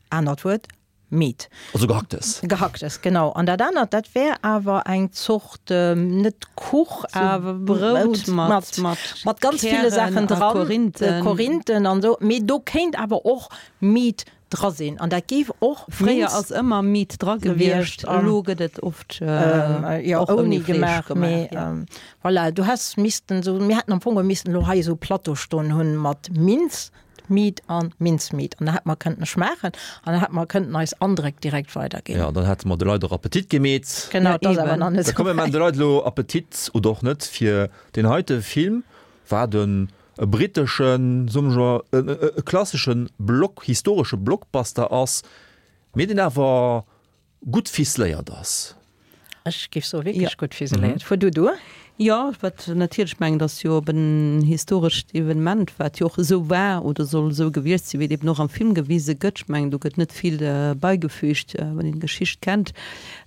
anert Wuert, meat? Also Gehacktes. Gehacktes, genau. An dat anert, dat wär awer eng Zort, net Kuch, Sou awer Brout mat, mat, mat ganz ville Kären Saachen a dran, Korinthen. Korinthen an esou. Mee do kéint awer och meat dra sinn. An dat géif och Fréier ass ëmmer Meat dra gewiescht, elo gëtt et oft jo och ouni gemaach, mee voilà, du häss missten esou, mir hätten am Fong geholl missten elo hei esou e Plateau stoen hunn mat Minz, Meat an Mincemeat an da hätte mer kënnten schmaachen an da hätte mer kënnten eis Andréck direkt weiderginn. Jo, dann hätte mer de Leit och Appetit gemeet. Genau, et ass awer nach net Da esou komm, mir maachen wäit. de Leit elo Appetit oder och net fir deen heite Film. Wat en e britteschen, soe mer e klasseschen Block, historesche Blockbuster ass, mee deen awer gutt ficeléiert ass. Ech géif soe wierklech gutt ficeléiert. Fuer du duer. Jo, wat natierlech, ech mengen, et ass jo op en historescht Evenement, wat jo och esou war oder soll esou gewiescht sinn, wéi et eben och am Film gewise gëtt. Ech mengen, do gëtt net vill beigefügt, wann een d'Geschicht kennt.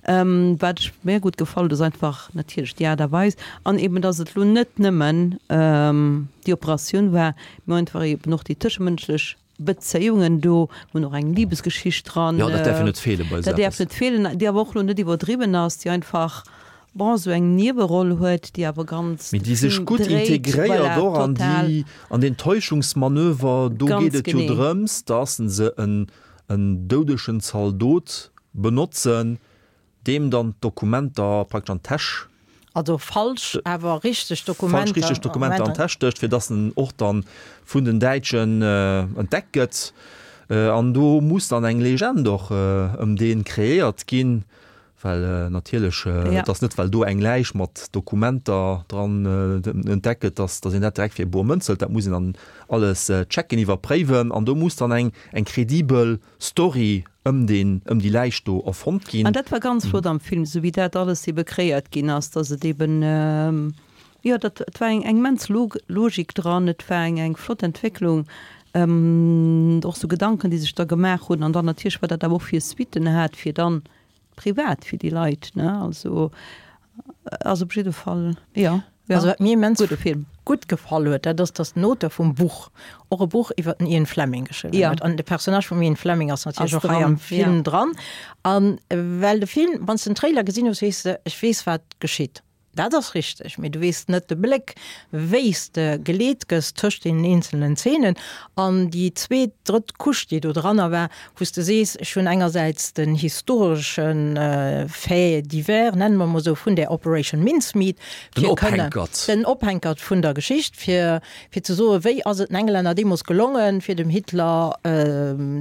Wat ech mir gutt gefall huet, ass einfach natierlech déi Aart a Weis an eben, dass et elo net nëmmen déi Operatioun war, mä einfach eben och déi tëschemënschlech Bezéiungen do, mir hunn och eng Libesgeschicht dran. Jo, dat däerf jo net feelen bei esou Dat däerf eppes. net feelen, déi awer och elo net iwwerdriwwen ass, déi einfach, bon, esou eng Nieweroll huet, déi awer ganz Mee de déi sech Film gutt dréit, integréiert voilà, och an total. déi, an deen Täuschungsmanöver. Do Ganz geet et jo genee. drëms, dass se en, en doudegen Zaldot benotzen, deem dann d'Dokumenter praktesch an d'Täsch. Also falsch, awer richteg Falsch, Dokumenter. richteg Dokumenter an d'Täsch stécht, fir dass en och dann vun den Däitschen entdeckt gëtt. An do muss dann eng Legend och ëm dee kreéiert ginn, well natierlech, et ass net, well do eng Läich mat Dokumenter dran entdeckt gëtt, dass dass een dat direkt fir bor Mënz hëlt. Dat muss een dann alles checken, iwwerpréiwen. An do muss dann eng eng kredibel Story ëm deen, ëm déi Läich do erfonnt ginn. An dat war ganz flott am Film, esou wéi dat alles ebe kreéiert ginn ass, dass et eben, jo, dat, et war eng eng immens Logik dran, et war eng eng flott Entwécklung, och sou Gedanken, déi sech da gemaach hunn, an dann natierlech, wat dat awer och fir Suitten hat, fir dann privat fir déi Leit, ne, also ass op jidde Fall, jo, jo, Also wat mir immens gudde Film. gutt gefall huet, dat ass, dass den Auteur vum Buch och e Buch iwwer den Ian Fleming geschriwwen Ja. huet. An de Personnage vum Ian Fleming ass natierlech Ass och hei dran, am Film ja. dran. An well de Film, wann s de den Trailer gesinn hues, weess de, ech weess wat geschitt. Dat ass richteg, mee du weess net de Bléck, wéi s de geleet gëss tëscht deenen eenzelnen Zeenen. An déi zweet, drëtt Couche, déi do dranner war, wou s de sees, ech hunn engersäits den historesche Fait divers, nenne mer emol esou, vun där Operation Mincemeat, Den fir kënne, Ophänkert. den Ophänkert vun der Geschicht, fir, fir ze soen, wéi ass et den Englänner deemools gelongen, fir dem Hitler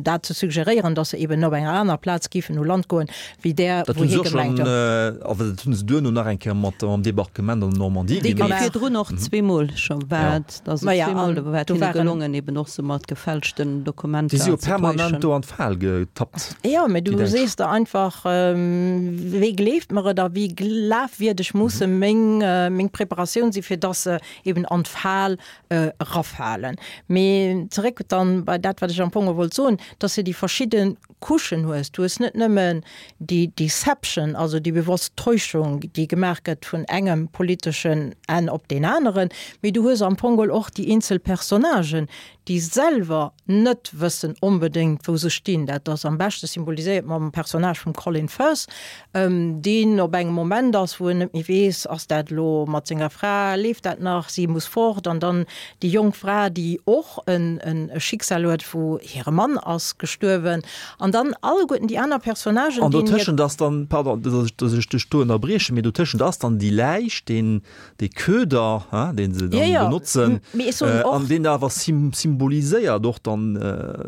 dat ze suggeréieren, datt se eben op enger aner Plaz géifen u Land goen, wéi där, Dat wou hunn se hie och schonn, gemengt huet. awer dat hunn se duerno nach eng Kéier mat am Debarquement an der Normandie Déi gemeet. virdrun och zweemol scho war et, also Maja, zweemol an war et do hinne waren. gelongen, eben och sou mat gefälschten Déi si Dokumenter jo ze permanent täuschen. do an d'Fal getappt, Jo, mee déi du Däitsch. sees der einfach, Wéi gleeft mer et a wéi glafwierdeg musse meng, meng Preparatioun si fir dass se eben an d'Fal erafalen. Mee zeréck dann bei dat, wat ech am Fong wollt soen, dass de déi verschidde Couchen hues. Du hues net nëmmen déi Deception, also déi bewosst Täuschung, déi gemaach gëtt vun engem politeschen Enn op deen aneren, mee du hues am Fong geholl och déi eenzel Personnagen, déi selwer net wëssen onbedéngt, wou se stinn. Dat ass am beschte symboliséiert mam Personnage vum Colin Firth, deen op engem Moment ass, wou en net méi weess, ass dat elo mat senger Fra, leeft dat nach, si muss fort, an dann déi jonk Fra, déi och en e Schicksal huet, wou hire Mann ass gestuerwen, an dann alleguerten déi aner Personnagen, An deenen hir. dotëschent ass dann, pardon, dass ech, dass ech dech do ënnerbriechen, mee dotëschent ass dann déi Läich, deen, dee Köder, hein, dee se Jo, dann jo, benotzen, mee ech soen an och. deen awer symboliséiert och dann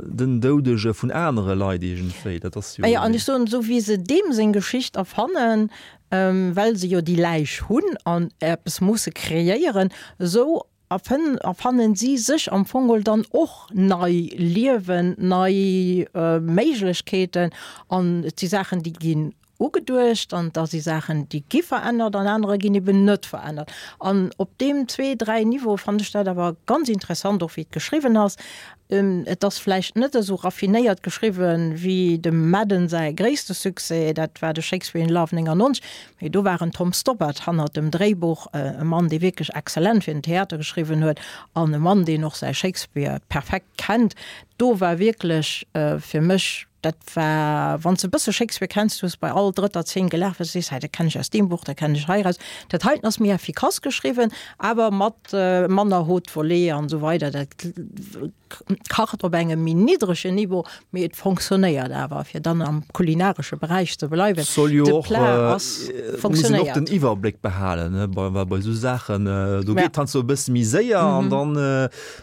den Doudege vun anere Leit iergendwéi. Dat ass jo. Jo, an ech soen, esou wéi se deem seng Geschicht erfannen, well se jo déi Läich hunn an eppes musse kreéieren, esou erfannen si sech am Fong dann och nei Liewen, nei Méiglechkeeten an et si Saachen, déi ginn ugeduecht an da si Saachen, déi gi verännert an anerer ginn eben net verännert. An op deem zwee, dräi Niveaue fannen ech dat awer ganz interessant, och wéi et geschriwwen ass. Et ass vläicht net esou raffinéiert geschriwwen wéi dem Madden säi gréisste Succès, dat war de Shakespeare in Love neunundneunzeg, mee do war en Tom Stoppard hannert dem Dréibuch, e Mann, dee wierklech exzellent fir den Theater geschriwwen huet an e Mann, deen och säi Shakespeare perfekt kennt. Do war wierklech fir mech Dat war, wann s de e bësse Shakespeare kenns, du hues bei all drëtter Zeen gelaacht, well s de sees, hei dat kennen ech aus deem Buch, dat kennen ech heiraus. Dat heiten ass méi effikass geschriwwen, awer mat manner Haute Volée an esou weider. Dat kacht op engem méi niddregen Niveau, mee et fonctionnéiert awer, fir dann am kulinaresche Beräich ze bleiwen. Soll jo De och, Plat ass muss een och fonctionnéiert. den Iwwerbléck behalen, ne, bei, bei esou Saachen, do Ja. geet heiansdo e bësse méi séier an dann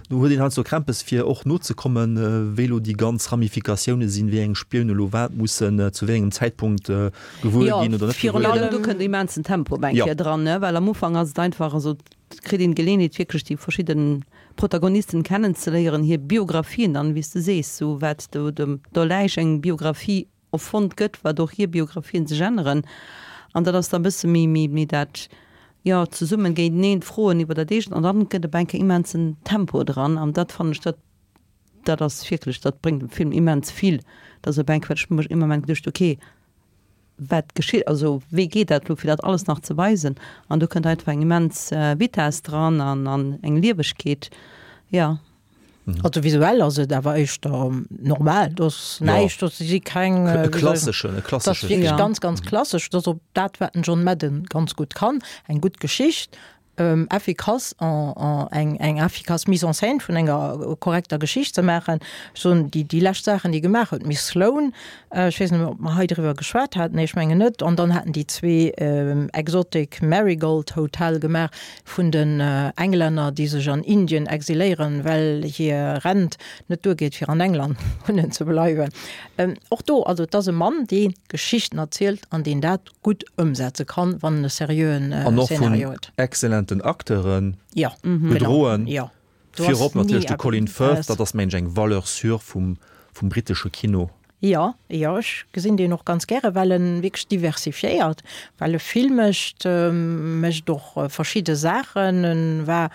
do huet een heiansdo Krämpes fir och nozekommen, wéi elo déi ganz Ramifikatioune sinn, wéi eng Spioune elo wat mussen zu wéi engem Zäitpunkt gewuer Jo, ginn oder net virun gewuer ginn. allem. Do kënnt immensen Tempo op eng Jo. Kéier dran, ne, well am Ufank ass et einfach, also et kritt een d'Geleeënheet wierklech déi verschidden Protagonisten kennenzeléieren, hir Biographien dann, wéi s de sees, sou wat do dem Doleisch eng Biographie erfonnt gëtt, wat och hir Biographien sech änneren an dat ass da bësse méi, méi, méi dat, jo, zesummen géinteneen d'Froen iwwer dat eegent an dann gëtt op eng Kéier immensen Tempo dran an dat fannen ech, dat, dat ass wierklech, dat bréngt dem Film immens vill, dass op eng Kéier, ech hu mech ëmmer geduecht, okay, wat geschitt, also wéi geet dat elo fir dat alles nach ze weisen an do kënnt einfach eng immens Vitesse dran an an eng Liewegkeet, jo. Also visuell ass et awer éischter normal, do ass näischt, do si keng, E klasseschen, e klassesche dat ass wierklech Film. ganz, ganz klassesch, dat ass och dat wat den John Madden ganz gutt kann, eng gutt Geschicht, effikass eng eng efficace Mise en scène vun enger korrekter Geschicht ze maachen. Ech soen, déi déi lescht Saachen, déi e gemaach huet, Miss Sloane, ech weess net méi, ob mer hei driwwer geschwat haten, nee, ech mengen net, an dann haten déi zwee Exotic Marigold Hotel gemaach vun den Englänner, déi sech an Indien exiléieren, well hir Rent net duergeet, fir an England wunnen ze bleiwen. Och do, also et ass e Mann, dee Geschichten erzielt an deen dat gutt ëmsetze kann, wann en e seriöen An och vun Szenario huet. exzellenten Acteuren Ja, genau, gedroen. jo. Do ass Virop natierlech ni de Colin eppes. Firth, dat ass mengen ech eng Valeur sûre vum, vum brittesche Kino. Jo, jo, ech gesinn deen och ganz gäre, well en wierklech diversifiéiert, well e vill mécht, mécht och verschidde Saachen. En war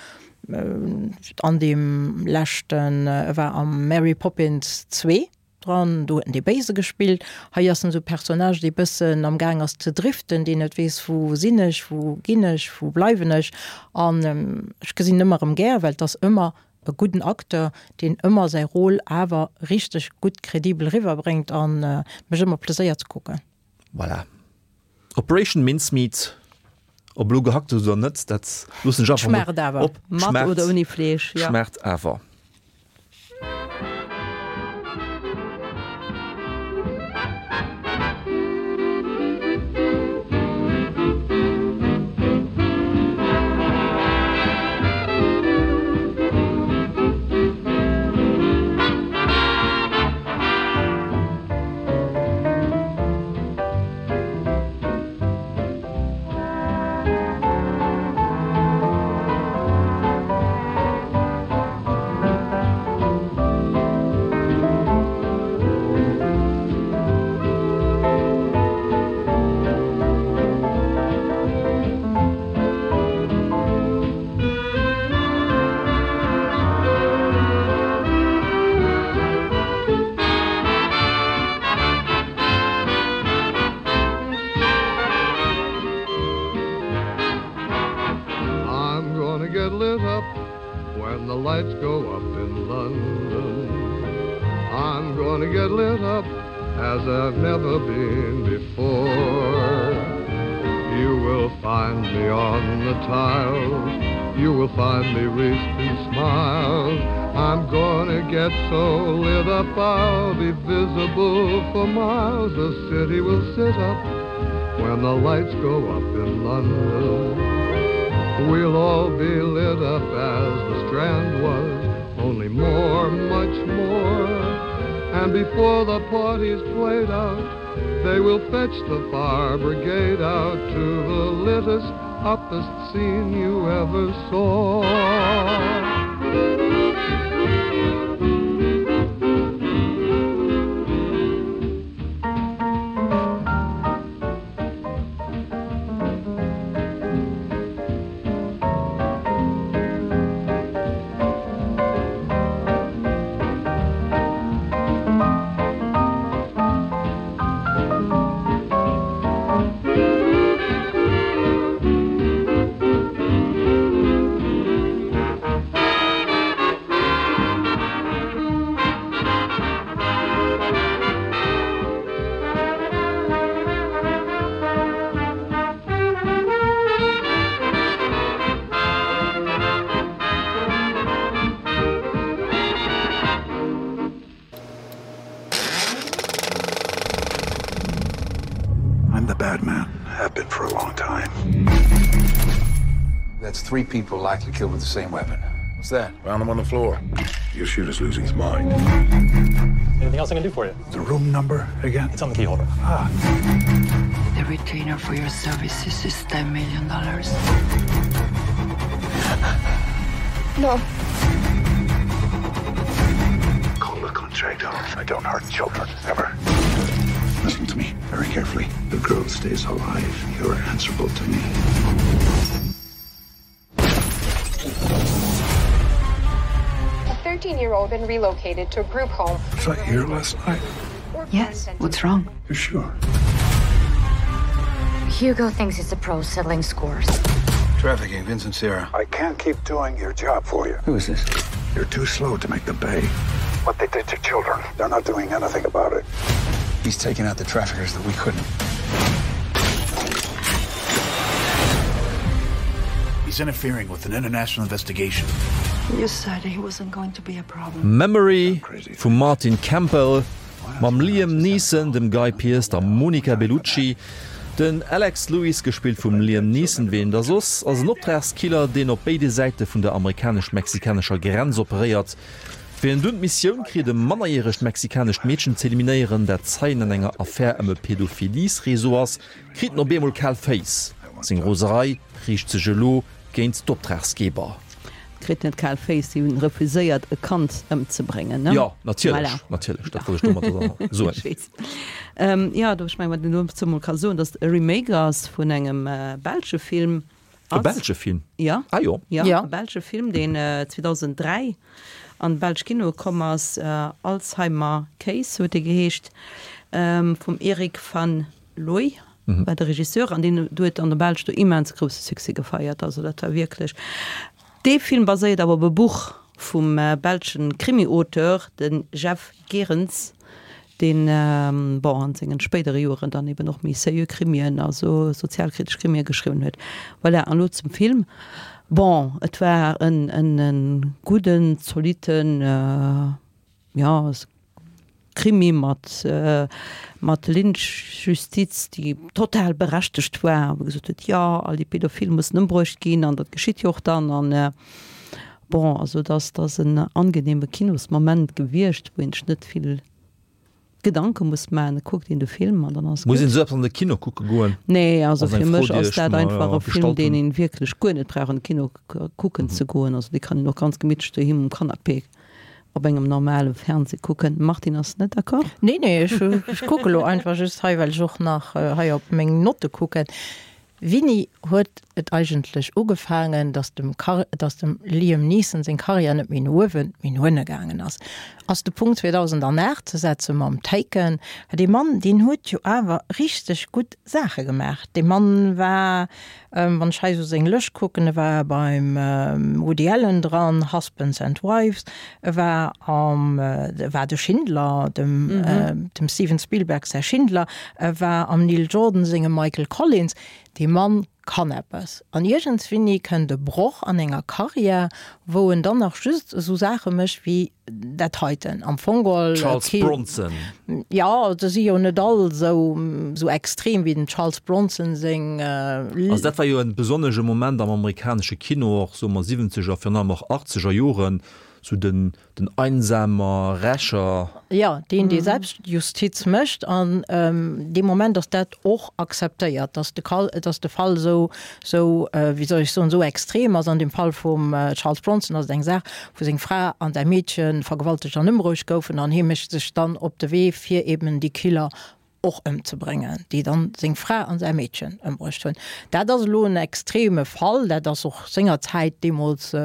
an deem leschten, e war am Mary Poppins zwee dran, do huet en dee Béise gespillt. Hei ass en esou e Personnage, dee bëssen am Gaang ass ze driften, deen net weess, wou sinn ech, wou ginn ech, wou bleiwen ech. An ech gesinn en ëmmer erëm gär, well et ass ëmmer e gudden Acteur, deen ëmmer säi Rôle awer richteg gutt kredibel eriwwerbréngt a mécht ëmmer Pleséier ze kucken. Voilà. Operation Mincemeat, ob elo gehackt oder net, dat loossen ech einfach mol Schmaacht awer. op. Mat oder ouni Fleesch, jo. Schmaacht awer. I'm gonna get lit up when the lights go up in London. I'm gonna get lit up as I've never been before. You will find me on the tiles, you will find me wreathed in smiles. I'm gonna get so lit up I'll be visible for miles. The city will sit up when the lights go up in London. We'll all be lit up as the Strand was, only more, much more. And before the party's played out, they will fetch the fire brigade out to the littest, uppest scene you ever saw. I'm the bad man. Have been for a long time. That's three people likely killed with the same weapon. What's that? Found him on the floor. Your shooter's losing his mind. Anything else I can do for you? The room number again? It's on the keyholder. Ah. The retainer for your services is ten million dollars. No. Call the contract off. I don't hurt children ever. Listen to me very carefully. The girl stays alive. You're answerable to me. A thirteen-year-old been relocated to a group home. Was I here last night? Yes, what's wrong? You sure? Hugo thinks it's a pro settling scores. Trafficking, Vincent Sierra. I can't keep doing your job for you. Who is this? You're too slow to make the bay. What they did to children, they're not doing anything about it. He's taking out the traffickers that we couldn't. He's interfering with an international investigation. You said he wasn't going to be a problem. Memory vum Martin Campbell mam Liam Neeson, dem Guy Pearce, der Monica Bellucci. Den Alex Lewis, gespillt vum Liam Neeson, ween da soss, ass en Optragskiller, deen op béide Säite vun der amerikanesch-mexikanescher Grenz operéiert. Wéi en dunn d'Missioun kritt, e mannerjäregt mexikanescht Meedchen z'eliminéieren, dat Zeien an enger Affär ëm e Pädophiliesreseau ass, kritt en op eemol kal Féiss. Seng Roserei riicht sech elo géint d'Optragsgeber. Kritt net kal Féiss, si hunn refuséiert e Kand ëmzebréngen, ne? Jo, natierlech, Voilà. natierlech, dat wollt ech domadder soen. Ech weess. Jo, do, ech mengen, wat een dozou mol ka soen, datt et e Remake ass vun engem belsche Film. E belsche Film? Ja. Ah jo. Ja, Ja. e belsche Film, deen zweedausenddräi an d'belsch Kinoe komm ass. Alzheimer Case huet e geheescht, vum Erik van Looy war de Regisseur an deen huet an der Belsch do immens grousse Succès gefeiert. Also dat war wierklech. Dee Film baséiert awer op e Buch vum belschen Krimi-Auteur, de Jeff Gerens, deen, bon, an sengen spéidere Joeren dann eben och méi sérieux Krimien, also sozialkritesch Krimie geschriwwen huet. Voilà, an elo zum Film. Bon, et war en, en, en gudden, zolitten, jo, Krimi mat, mat Lynchjustiz, déi total berechtegt war, wou gesot huet, jo, all déi Pädophil mussen ëmbruecht ginn, an dat geschitt jo och dann. An bon, also et ass, et ass en angenehme Kinosmoment gewiescht, wou een sech net vill Gedanke muss maachen. Et kuckt een de Film an dann ass Muss gutt. een esou eppes an de Kino kucke goen? Nee, also Ass eng fir Fro, mech déi ass ech dat mer einfach e Film, gestallt deen hunn. een wierklech guer net brauch an de Kino kucken ze goen. Also dee kann een och ganz gemittlech doheem um Canapé op engem normale Fernseh kucken. Martine ass net d'accord? Nee, nee, ech, ech kucke lo einfach just hei, well ech och nach hei op meng Notte kucken. Wéini huet et eigentlech ugefaangen, dass dem Kar dass dem Liam Neeson seng Karriär net méi no uewen, mee no ënne gaangen ass? Ass de Punkt zweedausendanaacht ze setze mam Taken. Dee Mann, deen huet jo awer richteg gutt Saache gemaach. Dee Mann war, wann ech hei esou seng Lëscht kucken, e war beim Woody Allen dran, Husbands and Wives, e war am, e war de Schindler, dem, dem Steven Spielberg säi Schindler, e war am Neil Jordan sengem Michael Collins. Dee Mann kann eppes. An iergendswéini kënnt e Broch an enger Karriär, wou en dann nach just esou Saache mécht wéi dat heiten. Am Fong geholl Charles kee. Bronson. Jo, se si jo net all esou, esou extrem wéi den Charles Bronson seng. Also dat war jo e besonnesche Moment am amerikanesche Kino, och soe mer siwwenzeger, virun allem och achtzeger Joren, Sou den, den einsamer Rächer. Jo, deen, dee Selbstjustiz mécht. An dee Moment ass dat och akzeptéiert, dass de Kal, dass de Fall esou, esou, wéi soll ech soen, esou extrem ass. An dem Fall vum Charles Bronson ass et eng Saach, wou seng Fra an säi Meedche vergewaltegt an ëmbruecht goufen an hie mécht sech dann op de Wee, fir eben déi Killer och ëmzebréngen, déi dann seng Fra an säi Meedchen ëmbruecht hunn. Dat ass elo en extreme Fall, dat ass och sengerzäit deemools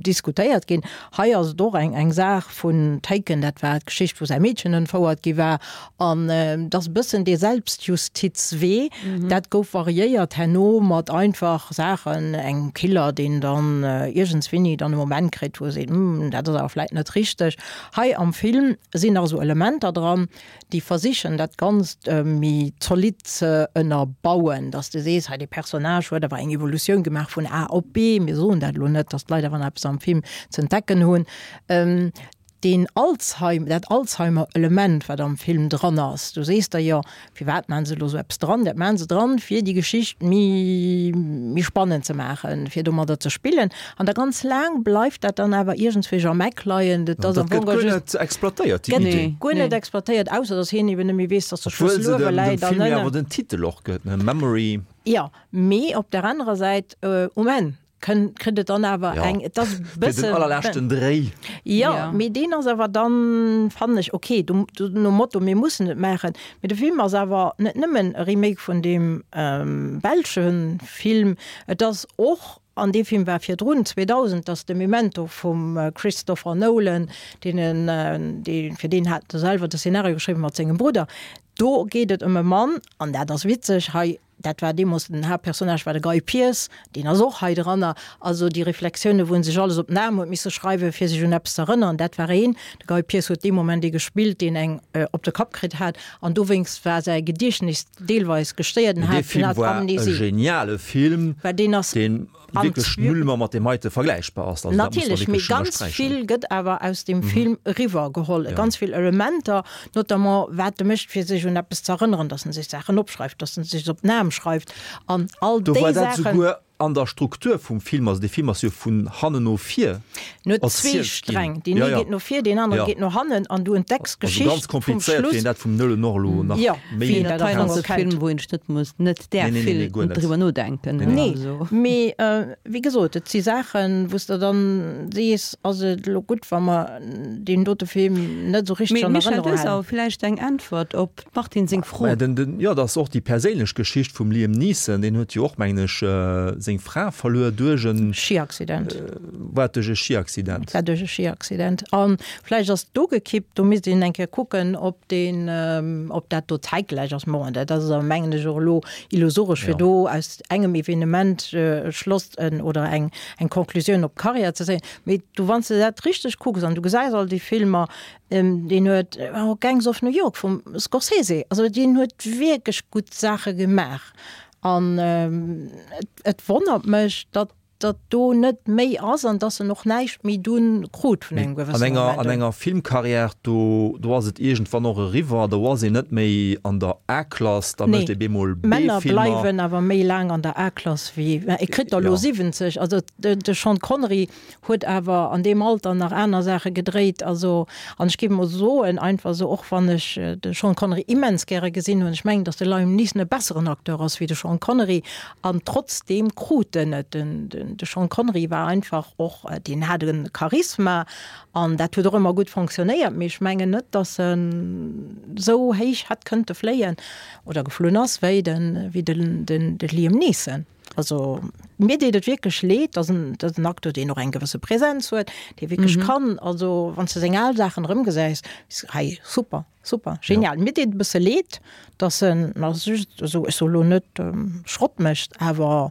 diskutéiert ginn. Hei ass et och eng eng Saach vun Taken, dat war d'Geschicht, wou säi Meedchen entfouert gi war. An et ass e bëssen dee Selbstjustizwee. Dat gouf variéiert herno mat einfach Saachen, engem Killer, deen dann iergendswéini dann e Moment kritt, wou e seet, Hm, dat ass awer vläicht net richteg. Hei am Film sinn nach esou Elementer dran, déi versichen dat Ganzt méi zolidd ze ënnerbauen, dass de sees, hei dee Personnage huet awer eng Evolutioun gemaach vun A op B, mir soen dat elo net, dass d'Leit awer nach eppes am Film z'entdecken hunn. Deen Alzheimer, dat Alzheimer-Element, wat am Film dran ass, du sees der jo, firwat maachen se elo esou eppes dran? Dat maachen se dran, fir déi Geschicht méi, méi spannend ze maachen, fir domadder ze spillen. An da ganz laang bleift dat dann awer iergendswéi am Eck leien. Dat ass Dat am gëtt Fong guer just, net exploitéiert, déi gëtt Idee. guer net exploitéiert, ausser datt hien eben net méi weess, datt de Obwuel Schlëssel se uewe dem, dem läit an Film jo ënnen. awer den Titel och gëtt, ne, Memory. Jo, mee op der anerer Säit, um Enn kënn, kritt et dann awer Ja. eng, et ass e Fir den bësse, allerleschten Dréi. Jo, Ja. mee deen ass awer dann, fannen ech, okay, du, du, nom Motto, mir mussen et maachen. Mee de Film ass awer net nëmmen e Remake vun deem ähm, belsche Film, et ass och, an dee Film war virdrun, zweedausend, dat ass de Memento vum Christopher Nolan, deen en, dee, fir deen hat e selwer de Szenario geschriwwen mat sengem Brudder. Do geet et ëm e Mann, an dat ass witzeg, hei, dat war deemools den Haaptpersonnage war de Guy Pearce, deen ass och hei dranner, also déi Reflexioune wou en sech alles op den Aarm huet misse schreiwen, fir sech un eppes ze erënneren, dat war een. De Guy Pearce huet dee Moment ee gespillt, deen eng op de Kapp kritt hat, an dowéinst war säi Gediechtnis deelweis gestéiert, en Dee hat, en Film hat war e Amnesie. geniale Film, Well deen ass deen An wierklech null mer mat deem heite vergläichbar ass. Also dat muss man Natierlech, mee wierklech ganz ënnersträichen. vill gëtt awer aus dem Film eriwwer geholl, Ja. ganz vill Elementer, notamment wat e mécht fir sech un eppes ze erënneren, dass en sech Saachen opschreift, dass en sech op den Aarm schreift an all Do war déi dat Saachen. souguer an der Struktur vum Film, also dee Film ass jo vun hannen no vir En huet zwee erzielt ginn. Sträng, deen Ja, ee ja. geet no vir, deen anere Ja. geet no hannen an du entdecks Also ganz d'Geschicht vum komplizéiert, Schluss. fir een dat vum Nullen och elo nach Ja, méi wien Dat dat hei am ass Fong e kennt. Film, wou een net muss net Nee, däerf nee, nee, vill nee, guer net. driwwer nodenken. Nee, nee. Nee, Also. mee wéi gesot, et si Saachen, wou s de dann sees, ass et elo gutt, wa mer deen dote Film net esou richteg Mee an Michel, Erënnerung du hues halen. awer vläicht eng Äntwert op d'Martine seng Fro. Mä den, den, jo, dat ass och déi perséinlech Geschicht vum Liam Neeson, deen huet jo och, mengen ech, seng Fra verluer duerch en Schiaccident. War et duerch e Schiaccident? War duerch e Schiaccident. An vläicht ass do gekippt, do misst een eng Kéier kucken, ob deen, ob dat do zäitgläich ass. Bon, dat ass awer, mengen ech, och elo illusoresch, fir Ja. do aus engem Evenement e Schloss oder eng, eng Conclusioun op d'Karriär ze zéien. Mee du, wann s de dat richteg kucks an du gesäis all déi Filmer, deen huet och Gangs of New York vum Scorsese, also deen huet wierklech gutt Saache gemaach. An et wonnert mech, datt datt do net méi ass an datt en och näischt méi dunn krut vun engem An gewëssene enger, Moment an un. enger Filmkarriär, do, do ass et iergendwann och eriwwer, do ass een net méi an der A-Klass, da mécht Nee, ee bemol Männer B-Filmer. bleiwen awer méi laang an der A-Klass wéi, e kritt der elo Ja. siwwenzeg, also de, de Sean Connery huet awer an deem Alter nach aner Saache gedréit, also an ech géif mol soen, einfach esou, och wann ech de Sean Connery immens gäre gesinn hunn, ech mengen, datt de Liam Neeson e besseren Acteur ass wéi de Sean Connery an trotzdeem krut en et, den, den, de Sean Connery war einfach och, deen hat e Charisma an dat huet och ëmmer gutt fonctionnéiert, mee ech mengen net, datt en esou héich hätt kënnte fléien oder geflunn ass wéi den, wéi den, den, de Liam Neeson. Also mir deet et wierklech leed, dat ass en, dat ass en Acteur, deen och eng gewësse Präsenz huet, dee wierklech Mhm. kann, also wann s de seng al Saachen erëmgesäis, hei super, super, genial. Mir deet et e bësse leed, datt en, ma just, also ech soe lo net Schrott mécht, awer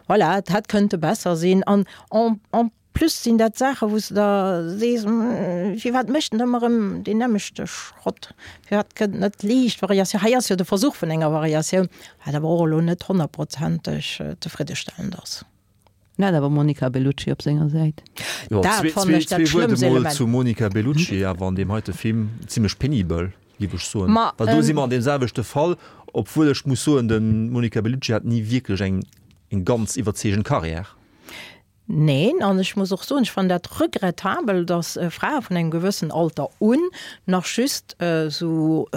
voilà, et hätt kënnte besser sinn an en, en plus sinn dat Saache wou s de da sees, firwat mécht en ëmmer erëm deen nämmlechte Schrott, firwat kënnt net liicht Variatioun, hei ass jo de Versuch vun enger Variatioun, wat awer och elo net honnertprozenteg zefriddestellend ass. En hat awer Monica Bellucci op senger Säit. Jo, Dat zwee, fannen zwee, ech dat zwee Wuert schlëmmst emol Element. zu Monica Bellucci, awer an deem heite Film zimmlech penibel, géif ech soen. Ma, Well do si ähm, mer an deem selwechte Fall, obwuel ech muss soen, de Monica Bellucci hat ni wierklech eng, eng ganz iwwerzeegend Karriär. Neen, an ech muss och soen, ech fannen dat regrettabel, dass Frae vun engem gewëssen Alter un nach just esou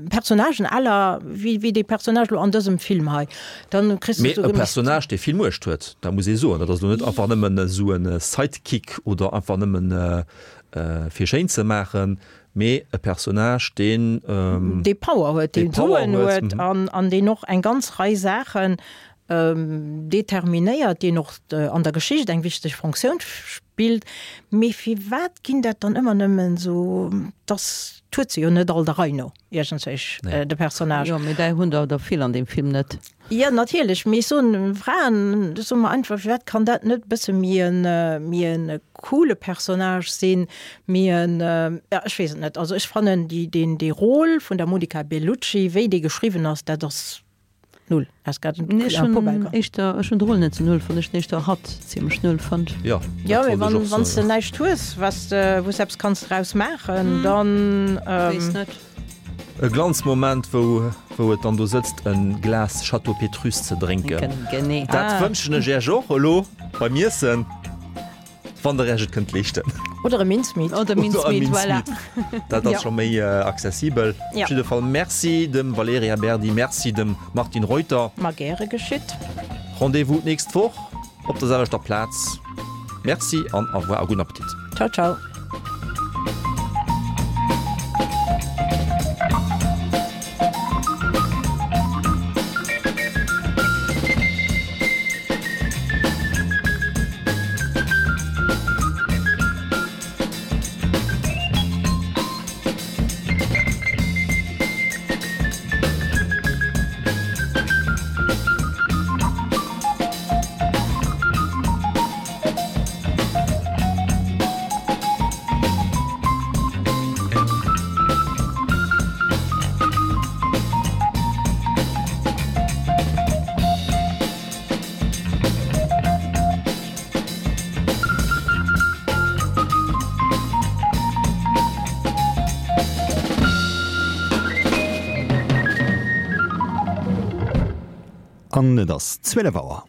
Personnagen à la wéi, wéi dee Personnage elo an dësem Film hei, dann kriss de Mee esou e Personnage, dee vill Muecht huet, dat muss ee soen. Dat ass elo net einfach nëmmen esou e Sidekick oder einfach nëmmen fir schéin ze maachen, mee e Personnage, deen, dee Power huet, dee deen Power Suen huet, huet an, an deen och eng ganz Rei Saachen determinéiert, deen och an der Geschicht eng wichteg Funktioun spillt. Mee firwat ginn dat dann ëmmer nëmmen esou, dass huet se jo net all der Rei no, iergendwéi, de Personnage. Jo, mee där hunn der der vill an deem Film net. Jo, natierlech, mee ech soen, Fraen, soe mer einfach, firwat kann dat net e bësse méi en, méi en coole Personnage sinn, méi en, ja, ech weess et net. Also ech fannen déi, deen, dee Rôle vun der Monica Bellucci, wéi dee geschriwwen ass, dat ass, Null. Ass grad en Nee, ech en hunn Pobelger. éischter, ech hunn d'Roll net sou null fonnt, ech hunn éischter hatt zimmlech null fonnt. Jo, Jo, dat mee wollt ech wann, och wann s de soen. näischt hues, was de, wou s eppes kanns draus maachen, dann, Weess ähm. net. E Glanzmoment, wou, wou et dann do sëtzt, e Glas Château Pétrus ze drénken. Drénken, genee. Dat Ah. wënschen ech Iech och elo beim Iessen, wann der Iech et kënnt leeschten. Oder e Mincemeat. Oder Mincemeat, voilà. Dat ass Ja. scho méi accessibel. Ja. Op jidde Fall Merci dem Valerija Berdi, Merci dem Martine Reuter. Ma gäre geschitt. Rendez-vous d'nächst Woch op der selwechter Plaz. Merci an au revoir a gudden Appetit. Ciao, ciao. An et ass zwielef Auer.